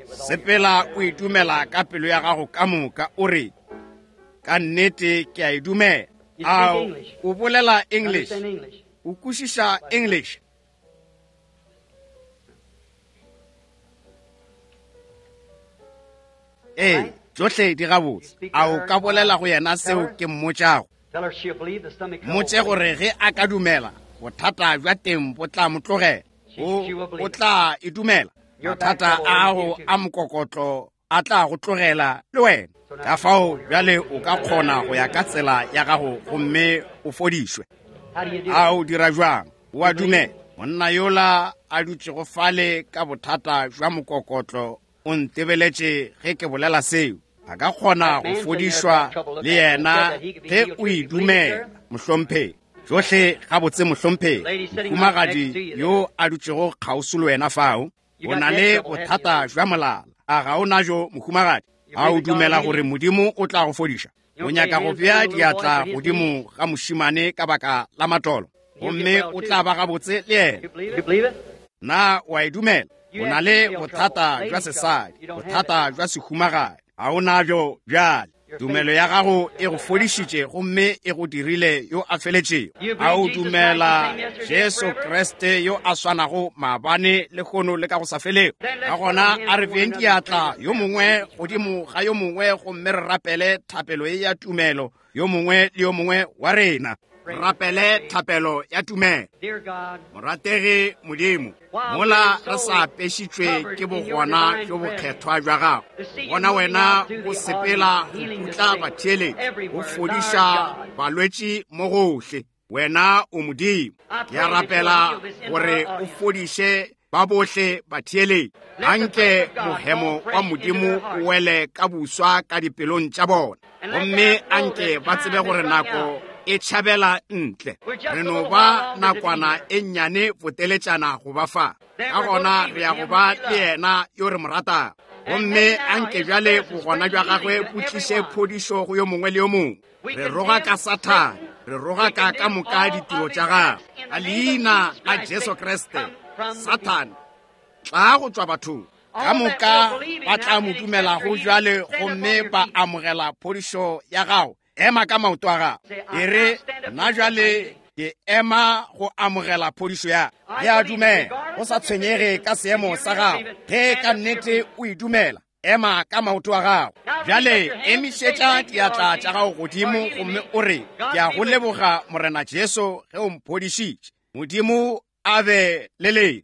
Sepela o e dumela ka pelo ya gago ka moka, o re, ka nnete ke a e dumela. A o bolela English? O kwešiša English? Ee, tsohle di gabotse. A o ka bolela go yena seo ke mmotšago? Mmotše gore ge a ka dumela, bothata bja teng bo tla mo tlogela. O, o tla e dumela. Mathata a gago a mokokotlo a tla go tlogela le wena. Ka fao bjale o ka kgona go ya ka tsela ya gago gomme o fodišwe. A o dira jwang? O a dumela? Monna yola a dutšego fale ka bothata bja mokokotlo o ntebeletše ge ke bolela seo. A ka kgona go fodišwa le yena ge o e dumela, mohlomphegi. Tšohle gabotse, mohlomphegi. Mohumagadi yo a dutšego kgauswi le wena fao, o na le bothata bja molala. A ga o najo, mohumagadi? A o dumela gore Modimo o tla go fodiša? O nyaka go bea diatla godimo ga mošemane ka baka la matolo, gomme o tla ba gabotse le yena. Na o a e dumela? O na le bothata bja sesadi, bothata bja sehumagadi. A o nabjo bjale? Tumelo ya gago e go fodišitše gomme e go dirile yo a feletšego. A o dumela Jesu Kriste yo a swanago maabane, lehono le ka go sa felego? Ka gona a re beeng diatla yo mongwe godimo ga yo mongwe gomme re rapele thapelo ye ya tumelo yo mongwe le yo mongwe wa rena. Rapele thapelo ya tumelo. Morategi Modimo, mola re sa apešitšwe ke bogona bjo bokgethwa bja gago, bona wena o sepela go putla batheeletši, o fodiša balwetši mo gohle. Wena o Modimo. Ke a rapela gore o fodiše ba bohle batheeletši. Anke mohemo wa Modimo o wele ka buswa ka dipelong tša bona, gomme anke ba tsebe gore nako e tšhabela ntle. Re no ba nakwana e nnyane boteletšana go ba fa. Ka gona re ya go ba le yena yo re mo ratago. Gomme anke bjale bogona bja gagwe bo tliše phodišo go yo mongwe le yo mongwe. Re roga ka Sathane, re roga ka ka moka ditiro tša gagwe. Ka leina la Jesu Kriste, Sathane, tla go tšwa bathong. Ka moka ba tla mo dumelago bjale gomme ba amogela phodišo ya gago. Ema ka maoto a gago. E re, nna bjale ke ema go amogela phodišo ya. Ke a dumela, go sa tshwenyege ka seemo sa gago. Ge ka nnete o e dumela, ema ka maoto a gago. Bjale emišetša diatla tša gago godimo gomme o re, ke a go leboga Morena Jesu ge o mphodišitše. Modimo a be le lena.